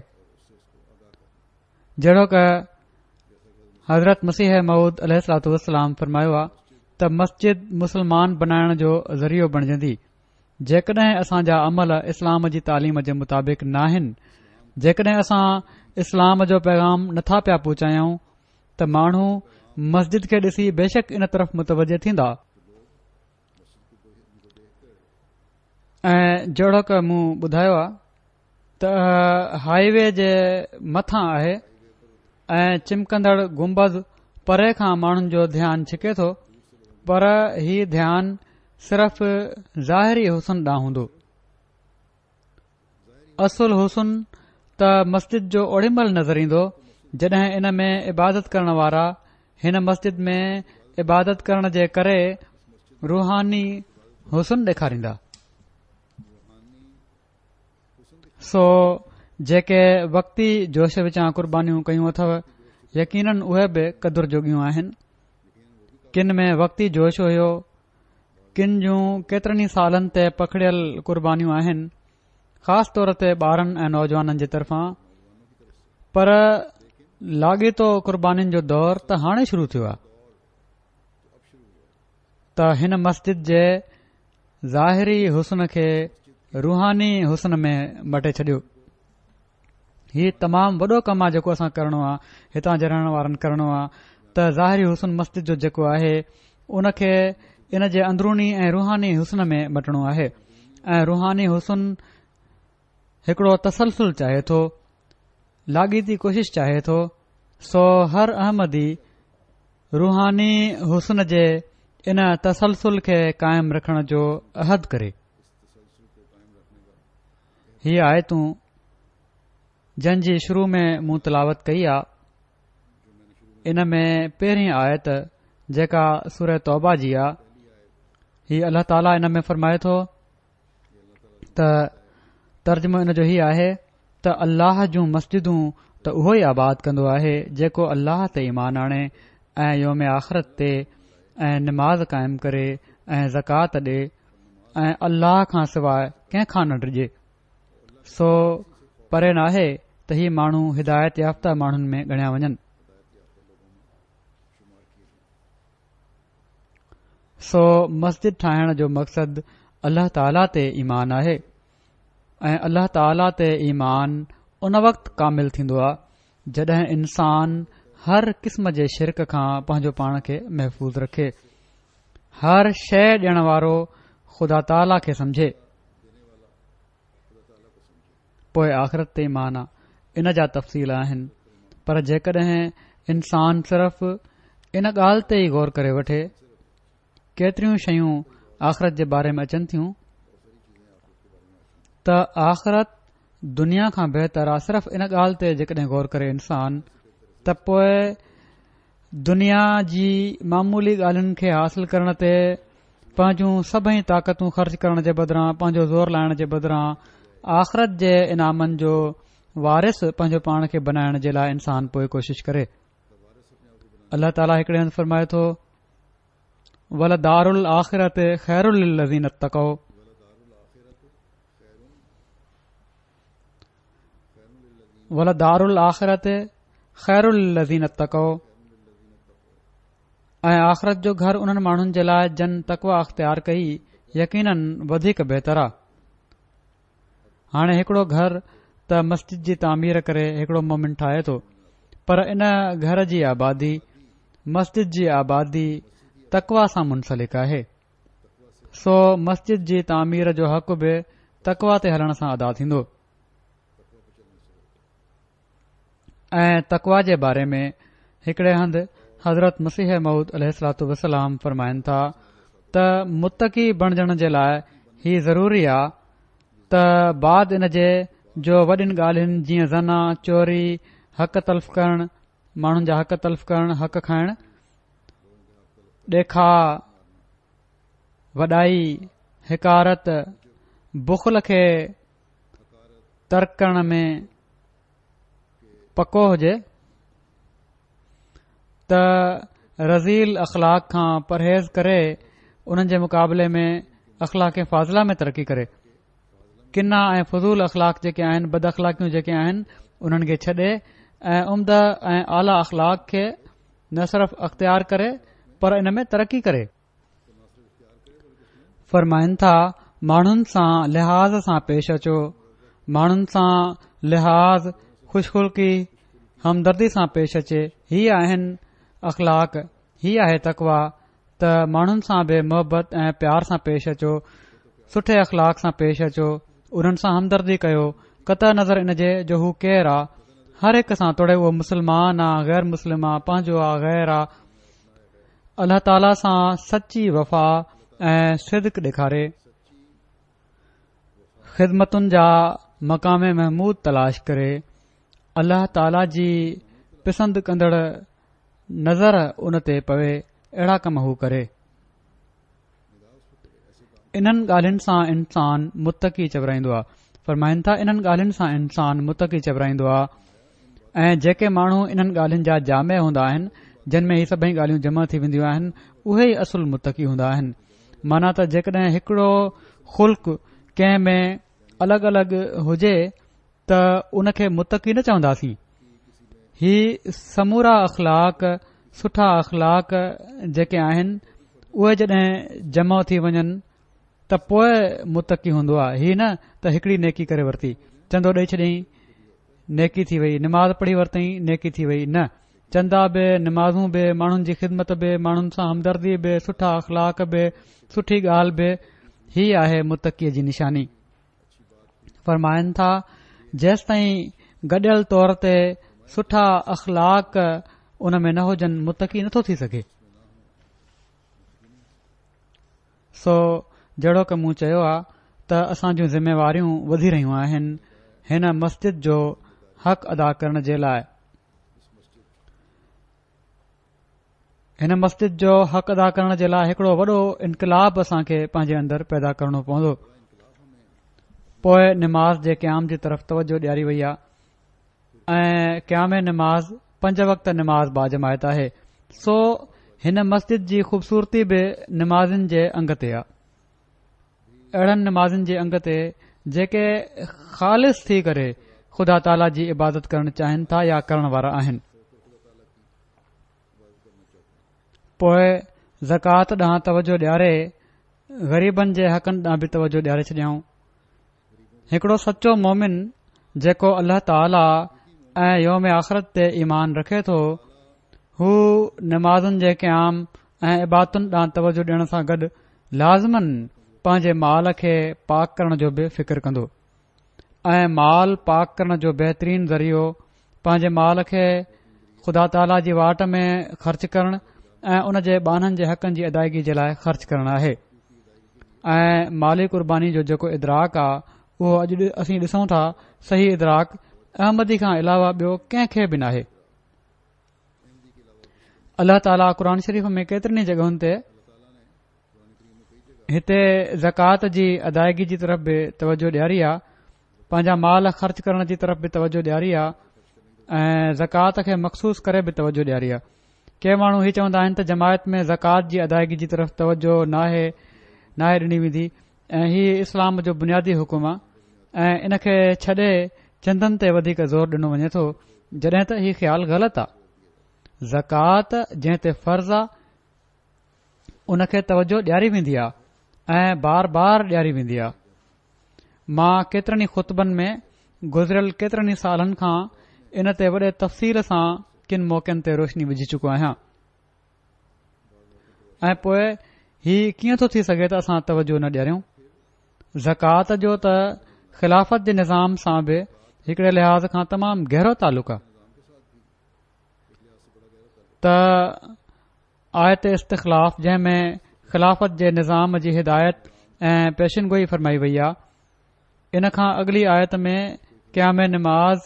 جهڙوڪ حضرت مسيح موعود عليه الصلوة والسلام فرمايو آهي ته مسجد مسلمان بنائڻ جو ذريعو بڻجندي. جيڪڏهن اسان جا عمل اسلام جي تعليم جي مطابق ناهن، جيڪڏهن اسان اسلام جو پيغام نٿا پيا پهچايون ته ماڻهو مسجد کي ڏسي بيشڪ ان طرف متوجه ٿيندا. ۽ جهڙوڪ مون ٻڌايو آهي ته هاءِ وي جي مٿان آهي ۽ چمڪندڙ گنبذ پري کان ماڻهن جو ڌيان ڇڪي ٿو، پر هي ڌيان صرف ظاهري حسن ڏانهن هوندو. اصل حسن ته مسجد جو اوڏي مهل نظر ايندو جڏهن ان ۾ عبادت ڪرڻ وارا هن مسجد ۾ عبادت ڪرڻ جي ڪري روحاني حسن ڏيکاريندا. سو جيڪي وقتي جوش وچان قربانيون ڪيون اٿو يقينن اهي به قدر جوڳيون آهن. ڪن ۾ وقتي جوش هيو، ڪن جون ڪيترن ئي سالن تي پکڙيل قربانيون آهن، خاص طور تي ٻارن ۽ نوجوانن جي طرفان. پر لاڳيتو قربانين جو دور ته هاڻي شروع ٿيو آهي. ته هن مسجد جي ظاهري حسن کي روحاني حسن ۾ مٽي ڇڏيو. هي تمام وڏو ڪم آهي جيڪو اسان ڪرڻو آهي، هتان جي رهڻ وارن ڪرڻو آهي ته ظاهري حسن مسجد جو جيڪو آهي ان کي ان جي اندروني ۽ روحاني حسن ۾ مٽڻو آهي. ۽ روحاني حسن هڪڙو تسلسل چاهي ٿو، لاڳيتي ڪوشش چاهي ٿو. سو هر احمدي روحاني حسن جي ان تسلسل کي قائم رکڻ جو عهد ڪري. هي آيتون جن جي شروع ۾ مون تلاوت ڪئي آ، ان ۾ پهرين آيت جيڪا سوره توبه جي آ، هي الله تعاليٰ ان ۾ فرمائي ٿو ته ترجمو ان جو هي آهي ته الله جون مسجدون ته اهو ئي آباد ڪندو آهي جيڪو الله تي ايمان آڻي ۽ يوم آخرت تي ۽ نماز قائم ڪري ۽ زڪوات ڏي ۽ الله کان سواءِ ڪنهن کان نه ڊڄي. سو پري ناهي ته هي ماڻهو هدايت يافته ماڻهن ۾ ڳڻيا وڃن. سو مسجد ٺاهڻ جو مقصد الله تعاليٰ تي ايمان آهي ۽ الله تعاليٰ تي ايمان ان وقت ڪامل ٿيندو آهي جڏهن انسان هر قسم جي شرڪ کان پنهنجو پاڻ کي محفوظ رکي، هر شيء ڏيڻ وارو خدا تعاليٰ کي سمجهي، پوء آخرت تي ايمان آ. ان جا تفصيل آهن، پر جيڪڏهن انسان صرف ان ڳالهه تي ئي غور ڪري وٺي، ڪيتريون شيون آخرت جي باري ۾ اچن ٿيون ته آخرت دنيا کان بهتر آ، صرف ان ڳالهه تي جيڪڏهن غور ڪري انسان ته پوء دنيا جي معمولي ڳالهين کي حاصل ڪرڻ تي پنهنجون سڀئي طاقتون خرچ ڪرڻ جي بدران، پنهنجو زور لائڻ جي بدران آخرت جي انعامن جو وارث پنهنجو پاڻ کي بنائڻ جي لاء انسان پوء ڪوشش ڪري. الله تعاليٰ هڪڙي هنڌ فرمائي ٿو، ولدار الآخرة خير للذين اتقوا. ولدار الآخرة خير للذين اتقوا، ۽ آخرت جو گهر انهن ماڻهن جي لاء جن تقويٰ اختيار ڪئي يقيناً وڌيڪ بهتر آ. هاڻي هڪڙو گهر ته مسجد جي تعمير ڪري هڪڙو مومن ٺاهي ٿو، پر ان گهر جي آبادي مسجد جي آبادي تقويٰ سان منسلڪ آهي، سو مسجد جي تعمير جو حق به تقويٰ تي هلڻ سان ادا ٿيندو. ۽ تقويٰ جي باري ۾ هڪڙي هنڌ حضرت مسيح موعود عليه الصلوة والسلام فرمائن ٿا ته متقي بڻجڻ جي لاء هي ضروري آ ته بعد ان جي جو وڏين ڳالهين جيئن زنا، چوري، حق تلف ڪرڻ، ماڻهن جا حق تلف ڪرڻ، حق کائڻ، ڏيکاء، وڏائي، حقارت، بخل کي ترڪ ڪرڻ ۾ پڪو هجي ته رذيل اخلاق کان پرهيز ڪري انهن جي مقابلي ۾ اخلاق فاضله ۾ ترقي ڪري. ڪنا ۽ فضول اخلاق جيڪي آهن، بد اخلاقيون جيڪي آهن، انهن کي ڇڏي ۽ عمده ۽ اعليٰ اخلاق کي نه صرف اختيار ڪري پر ان ۾ ترقي ڪري. فرمائن ٿا، ماڻهن سان لحاظ سان پيش اچو، ماڻهن سان لحاظ، خوش خلقي، همدردي سان پيش اچي. هي آهن اخلاق، هي آهي تقويٰ ته ماڻهن سان به محبت ۽ پيار سان پيش اچو، سٺي اخلاق سان پيش اچو، انهن سان همدردي ڪيو، قطع نظر ان جي جو هو ڪير آ، هر هڪ سان، توڙي اهو مسلمان آ، غير مسلم آ، پنهنجو آ، غير آ، الله تعاليٰ سان سچي وفا ۽ صدق ڏيکاري، خدمتن جا مقام محمود تلاش ڪري، الله تعاليٰ جي پسند ڪندڙ نظر ان تي پوي، اهڙا ڪم هو ڪري. انهن ڳالهين سان انسان متقي چورائيندو آ. فرمائن ٿا، انهن ڳالهين سان انسان متقي چورائيندو آ. ۽ جيڪي ماڻهو انهن ڳالهين جا جامع هوندا آهن، جن ۾ هي سڀئي ڳالهيون جمع ٿي وينديون آهن، اهي ئي اصل متقي هوندا آهن. معنيٰ ته جيڪڏهن هڪڙو خلق ڪنهن ۾ الڳ الڳ هجي ته ان کي متقي نه چونداسين. هي سمورا اخلاق، سٺا اخلاق جيڪي آهن، اهي جڏهن جمع ٿي وڃن ته پوء متقي هوندو آهي. هي نه ته هڪڙي نيڪي ڪري ورتي، چندو ڏئي ڇڏيائين، نيڪي ٿي وئي، نماز پڙهي ورتائين، نيڪي ٿي وئي، نه، چندا به، نمازون به، ماڻهن جي خدمت به، ماڻهن سان همدردي به، سٺا اخلاق به، سٺي ڳالهه به، هي آهي متقي جي نشاني. فرمائن ٿا، جيستائين گڏيل طور تي سٺا اخلاق ان ۾ نه هجن، متقي نٿو ٿي سگهي. سو جهڙوڪ مون چيو آ ته اسان جون ذميواريون وڌي رهيون آهن هن مسجد جو حق ادا ڪرڻ جي لاء. هن مسجد جو حق ادا ڪرڻ جي لاء هڪڙو وڏو انقلاب اسان کي پنهنجي اندر پيدا ڪرڻو پوندو. پوء نماز جي قيام جي طرف توجه ڏياري وئي آ ۽ قيام نماز پنج وقت نماز باجماعت آهي. سو هن مسجد جي خوبصورتي به نمازين جي انگ تي آ، اهڙن نمازين جي انگ تي جيڪي خالص ٿي ڪري خدا تعاليٰ جي عبادت ڪرڻ چاهين ٿا يا ڪرڻ وارا آهن. پوء زڪوات ڏانهن توجه ڏياري غريبن جي حقن ڏانهن به توجه ڏياري ڇڏيائون. هڪڙو سچو مومن جيڪو الله تعاليٰ ۽ يوم آخرت تي ايمان رکي ٿو، هو نمازن جي قيام ۽ عبادتن ڏانهن توجه ڏيڻ سان گڏ لازماً پنهنجي مال کي پاڪ ڪرڻ جو به فڪر ڪندو ۽ مال پاڪ ڪرڻ جو بهترين ذريعو پنهنجي مال کي خدا تعاليٰ جي واٽ ۾ خرچ ڪرڻ ۽ ان جي ٻانهن جي حقن جي ادائگي جي لاء خرچ ڪرڻ آهي. ۽ مالي قرباني جو جيڪو ادراڪ آ اهو اڄ اسين ڏسون ٿا، صحيح ادراڪ احمدي کان علاوه ٻيو ڪنهن کي به ناهي. الله تعاليٰ قرآن شريف ۾ ڪيترين ئي جڳهن تي هتي زڪوات جي ادائگي جي طرف به توجه ڏياري آ، پنهنجا مال خرچ ڪرڻ جي طرف به توجه ڏياري آ ۽ زڪوات کي مخصوص ڪري به توجه ڏياري آ. ڪي ماڻهو هي چوندا آهن ته جماعت ۾ زڪوات جي ادائگي جي طرف توجه ناهي ناهي ڏني ويندي ۽ هي اسلام جو بنيادي حڪم آ ۽ ان کي ڇڏي چندن تي وڌيڪ زور ڏنو وڃي ٿو، جڏهن ته هي خيال غلط آ. زڪوات جنهن تي فرض آ ان کي توجه ڏياري ويندي آ ۽ بار بار ڏياري ويندي آ. مان ڪيترن ئي خطبن ۾ گذريل ڪيترن ئي سالن کان ان تي وڏي تفصيل سان ڪن موقعن تي روشني وجهي چڪو آهيان. ۽ پوء هي ڪيئن ٿو ٿي سگهي ته اسان توجه نه ڏياريون؟ زڪوات جو ته خلافت جي نظام سان به هڪڙي لحاظ کان تمام گهرو تعلق آ ته آيت استخلاف جنهن ۾ خلافت جي نظام جي هدايت ۽ پيشن گوئي فرمائي وئي آ، ان کان اڳلي آيت ۾ قيام نماز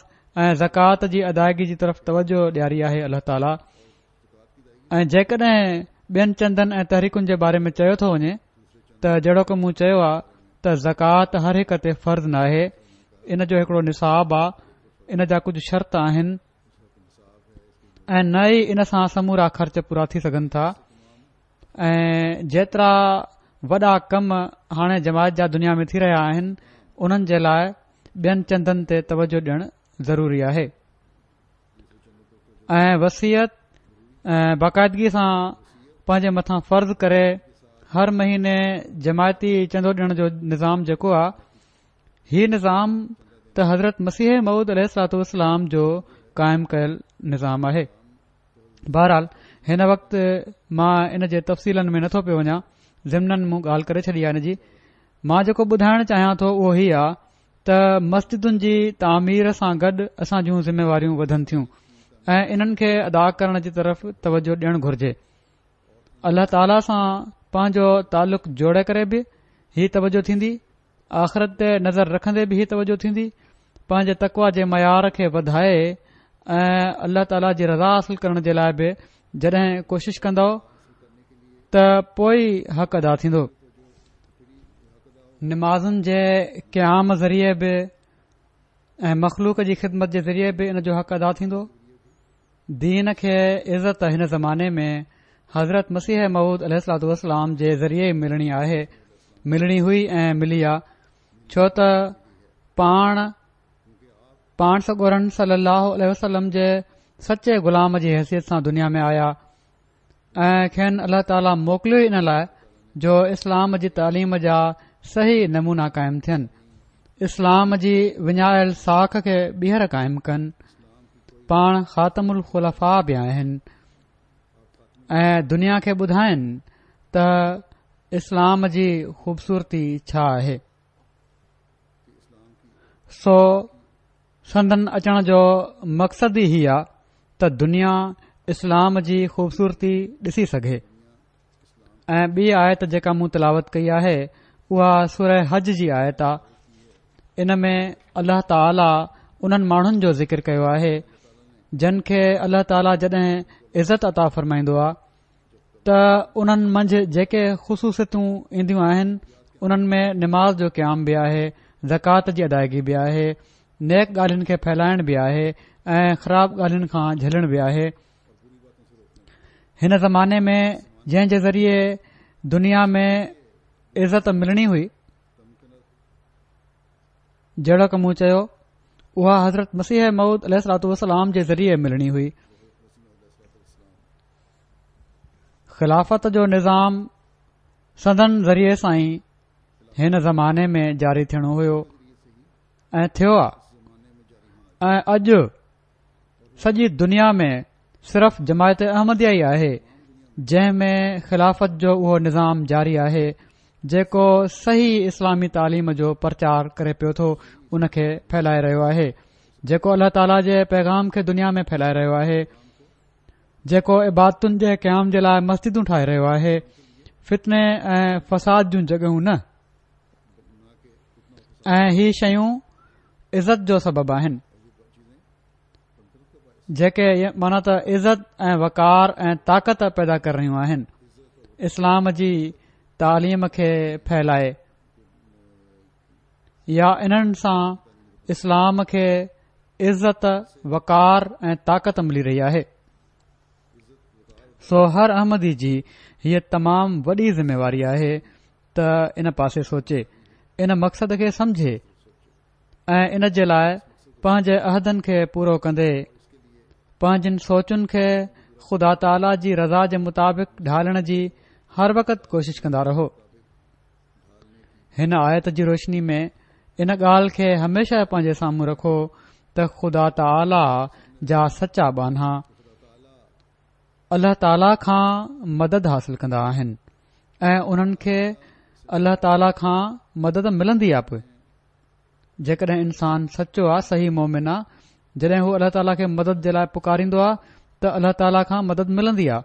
۽ زڪوات جي ادائگي جي طرف توجه ڏياري آهي الله تعاليٰ. ۽ جيڪڏهن ٻين چندن ۽ تحريڪن جي باري ۾ چيو ٿو وڃي ته جهڙوڪ مون چيو آ ته زڪوات هر هڪ تي فرض ناهي، ان جو هڪڙو نصاب آ، ان جا ڪجهه شرط آهن ۽ نه ئي ان سان سمورا خرچ پورا ٿي سگهن ٿا. ۽ جيترا وڏا ڪم هاڻي جماعت جا دنيا ۾ ٿي رهيا آهن انهن جي لاء ٻين چندن تي توجه ڏيڻ ضروري آهي. ۽ وصيت ۽ باقاعدگي سان پنهنجي مٿان فرض ڪري هر مهيني جماعتي چندو ڏيڻ جو نظام جيڪو آ، هي نظام ته حضرت مسيح موعود عليه الصلوة والسلام جو قائم ڪيل نظام آهي. بهرحال هن وقت مان ان جي تفصيلن ۾ نٿو پيو وڃان، ضمناً مون ڳالهه ڪري ڇڏي آهي ان جي. مان جيڪو ٻڌائڻ چاهيان ٿو اهو هي آ ته مسجدن جي تعمير سان گڏ اسان جون ذميواريون وڌن ٿيون ۽ انهن کي ادا ڪرڻ جي طرف توجه ڏيڻ گهرجي. الله تعاليٰ سان پنهنجو تعلق جوڙي ڪري به هي توجه ٿيندي، آخرت تي نظر رکندي به هي توجه ٿيندي، پنهنجي تقويٰ جي معيار کي وڌائي ۽ الله تعاليٰ جي رضا حاصل ڪرڻ جي لاء به جڏهن ڪوشش ڪندؤ ته پوء ئي حق ادا ٿيندو. نمازن جي قيام ذريعي به ۽ مخلوق جي خدمت جي ذريعي به ان جو حق ادا ٿيندو. دين کي عزت هن زماني ۾ حضرت مسيح موعود عليه الصلوة والسلام جي ذريعي ملڻي آهي، ملڻي هئي ۽ ملي آ، ڇو ته پاڻ پاڻ سڳورن صلي الله عليه وسلم جي سچي غلام جي حيثيت سان دنيا ۾ آيا ۽ کين الله تعاليٰ موڪليو ئي ان لاء جو اسلام جي تعليم جا صحيح نمونا قائم ٿين، اسلام جي وڃايل ساک کي ٻيهر قائم ڪن. پاڻ خاتم الخلفاء به آهن ۽ دنيا کي ٻڌائن ته اسلام جي خوبصورتي ڇا آهي. سو سندن اچڻ جو مقصد ئي هي آ ته دنيا اسلام جي خوبصورتي ڏسي سگهي. ۽ ٻي آيت جيڪا مون تلاوت ڪئي آهي اها سوره حج جي آيت آ. ان ۾ الله تعاليٰ انهن ماڻهن جو ذڪر ڪيو آهي جن کي الله تعاليٰ جڏهن عزت عطا فرمائيندو آ ته انهن منجهه جيڪي خصوصيتون اينديون آهن انهن ۾ نماز جو قيام به آهي، زڪوات جي ادائگي به آهي، نيڪ ڳالهين کي ڦهلائڻ به آهي ۽ خراب ڳالهين کان جهلڻ به آهي. هن زماني ۾ جنهن جي ذريعي دنيا ۾ عزت ملڻي هئي، جهڙوڪ مون چيو، اها حضرت مسيح موعود عليه الصلوة والسلام جي ذريعي ملڻي هئي. خلافت جو نظام سندن ذريعي سان ئي هن زماني ۾ جاري ٿيڻو هيو ۽ ٿيو آ. ۽ اڄ سڄي دنيا ۾ صرف جماعت احمديه ئي آهي جنهن ۾ خلافت جو اهو نظام جاري آهي جيڪو صحيح اسلامي تعليم جو پرچار ڪري پيو ٿو، ان کي ڦهلائي رهيو آهي، جيڪو الله تعاليٰ جي پيغام کي دنيا ۾ ڦهلائي رهيو آهي، جيڪو عبادتن جي قيام جي لاءِ مسجدون ٺاهي رهيو آهي، فتني ۽ فساد جون جڳهيون نه. ۽ هي شيون عزت جو سبب آهن، جيڪي معنيٰ ته عزت ۽ وقار ۽ طاقت پيدا ڪري رهيون آهن. اسلام جي تعليم کي ڦهلائي يا انهن سان اسلام کي عزت، وقار ۽ طاقت ملي رهي آهي. سو هر احمدي جي هيءَ تمام وڏي ذميواري آهي ته ان پاسي سوچي، ان مقصد کي سمجهي ۽ ان جي لاءِ پنهنجي عهدن کي پورو ڪندي پنهنجن سوچن کي خدا تعاليٰ جي رضا جي مطابق ڍالڻ جي هر وقت ڪوشش ڪندا رهو. هن آيت جي روشني ۾ ان ڳالهه کي هميشه پنهنجي سامهون رکو ته خدا تعاليٰ جا سچا ٻانها الله تعاليٰ کان مدد حاصل ڪندا آهن ۽ انهن کي الله تعاليٰ کان مدد ملندي آهي. پوءِ جيڪڏهن انسان سچو آهي، صحيح مومن آهي، جڏهن هو الله تعاليٰ کي مدد جي لاءِ پڪاريندو آهي ته الله تعاليٰ کان مدد ملندي آهي.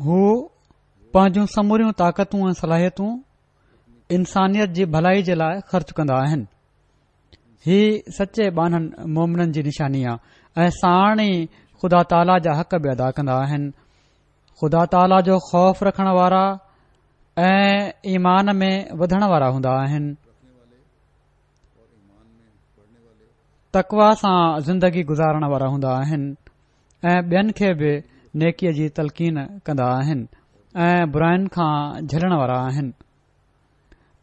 هو پنهنجون سموريون طاقتون ۽ صلاحيتون انسانيت جي ڀلائي جي لاءِ خرچ ڪندا آهن. هي سچي ٻانهن مومنن جي نشاني آهي ۽ ساڻ ئي خدا تعاليٰ جا حق به ادا ڪندا آهن. خدا تعاليٰ جو خوف رکڻ وارا ۽ ايمان ۾ وڌڻ وارا هوندا آهن. تقويٰ سان زندگي گذارڻ وارا هوندا آهن ۽ ٻين کي به نيڪيءَ جي تلقين ڪندا آهن ۽ براين کان جهلڻ وارا آهن.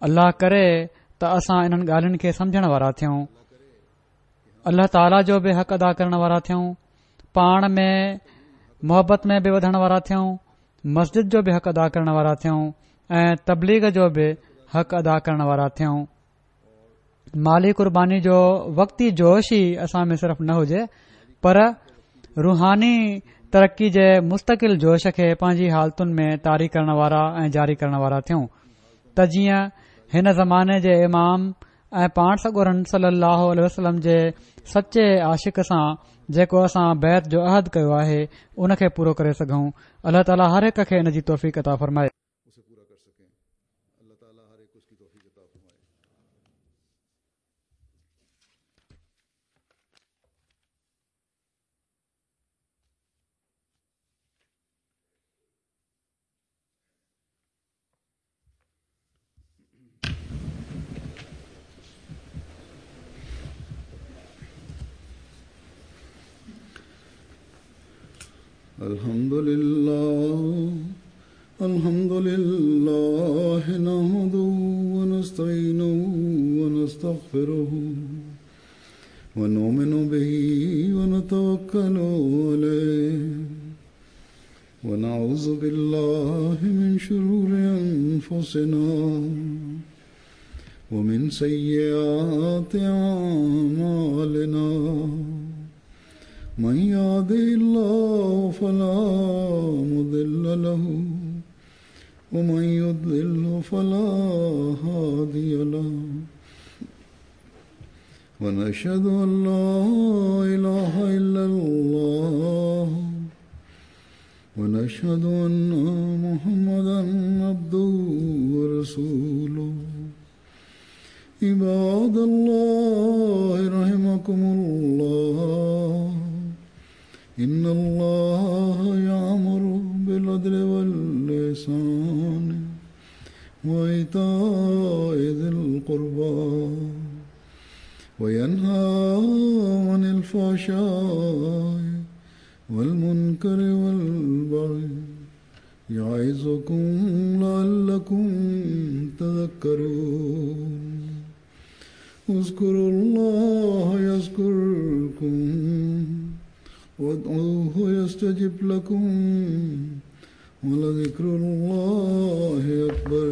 الله ڪري ته اسان انهن ڳالهين کي سمجهڻ وارا ٿيون، الله تعاليٰ جو به حق ادا ڪرڻ وارا ٿيون، پاڻ ۾ محبت ۾ به وڌڻ وارا ٿيون، مسجد جو به حق ادا ڪرڻ وارا ٿيون ۽ تبليغ جو به حق ادا ڪرڻ وارا ٿيون. مالي قرباني جو وقتي جوش ئي اسان ۾ صرف نه هجي پر روحاني ترقي جي مستقل جوش کي پنهنجي حالتن ۾ طاري ڪرڻ وارا ۽ جاري ڪرڻ وارا ٿيون ته جيئن هن زماني جي امام ۽ پاڻ سڳورن صلي الله عليه وسلم جي سچي عاشق سان جيڪو اسان بيعت جو عهد ڪيو آهي ان کي پورو ڪري سگهون. الله تعاليٰ هر هڪ کي ان جي توفيق عطا فرمائي. الحمد لله الحمد لله نحمده ونستعينه ونستغفره ونؤمن به ونتوكل عليه ونعوذ بالله من شرور أنفسنا ومن سيئات أعمالنا من يهده الله فلا مضل له ومن يضلل فلا هادي له ونشهد أن لا إله إلا الله ونشهد أن محمدا عبده ورسوله. عباد الله رحمكم الله، إن الله يأمر بالعدل والإحسان وإيتاء ذي القربى وينهى عن الفحشاء والمنكر والبغي يعظكم لعلكم تذكرون. اذكروا الله يذكركم وادعوه يستجب لكم ولذكر الله أكبر.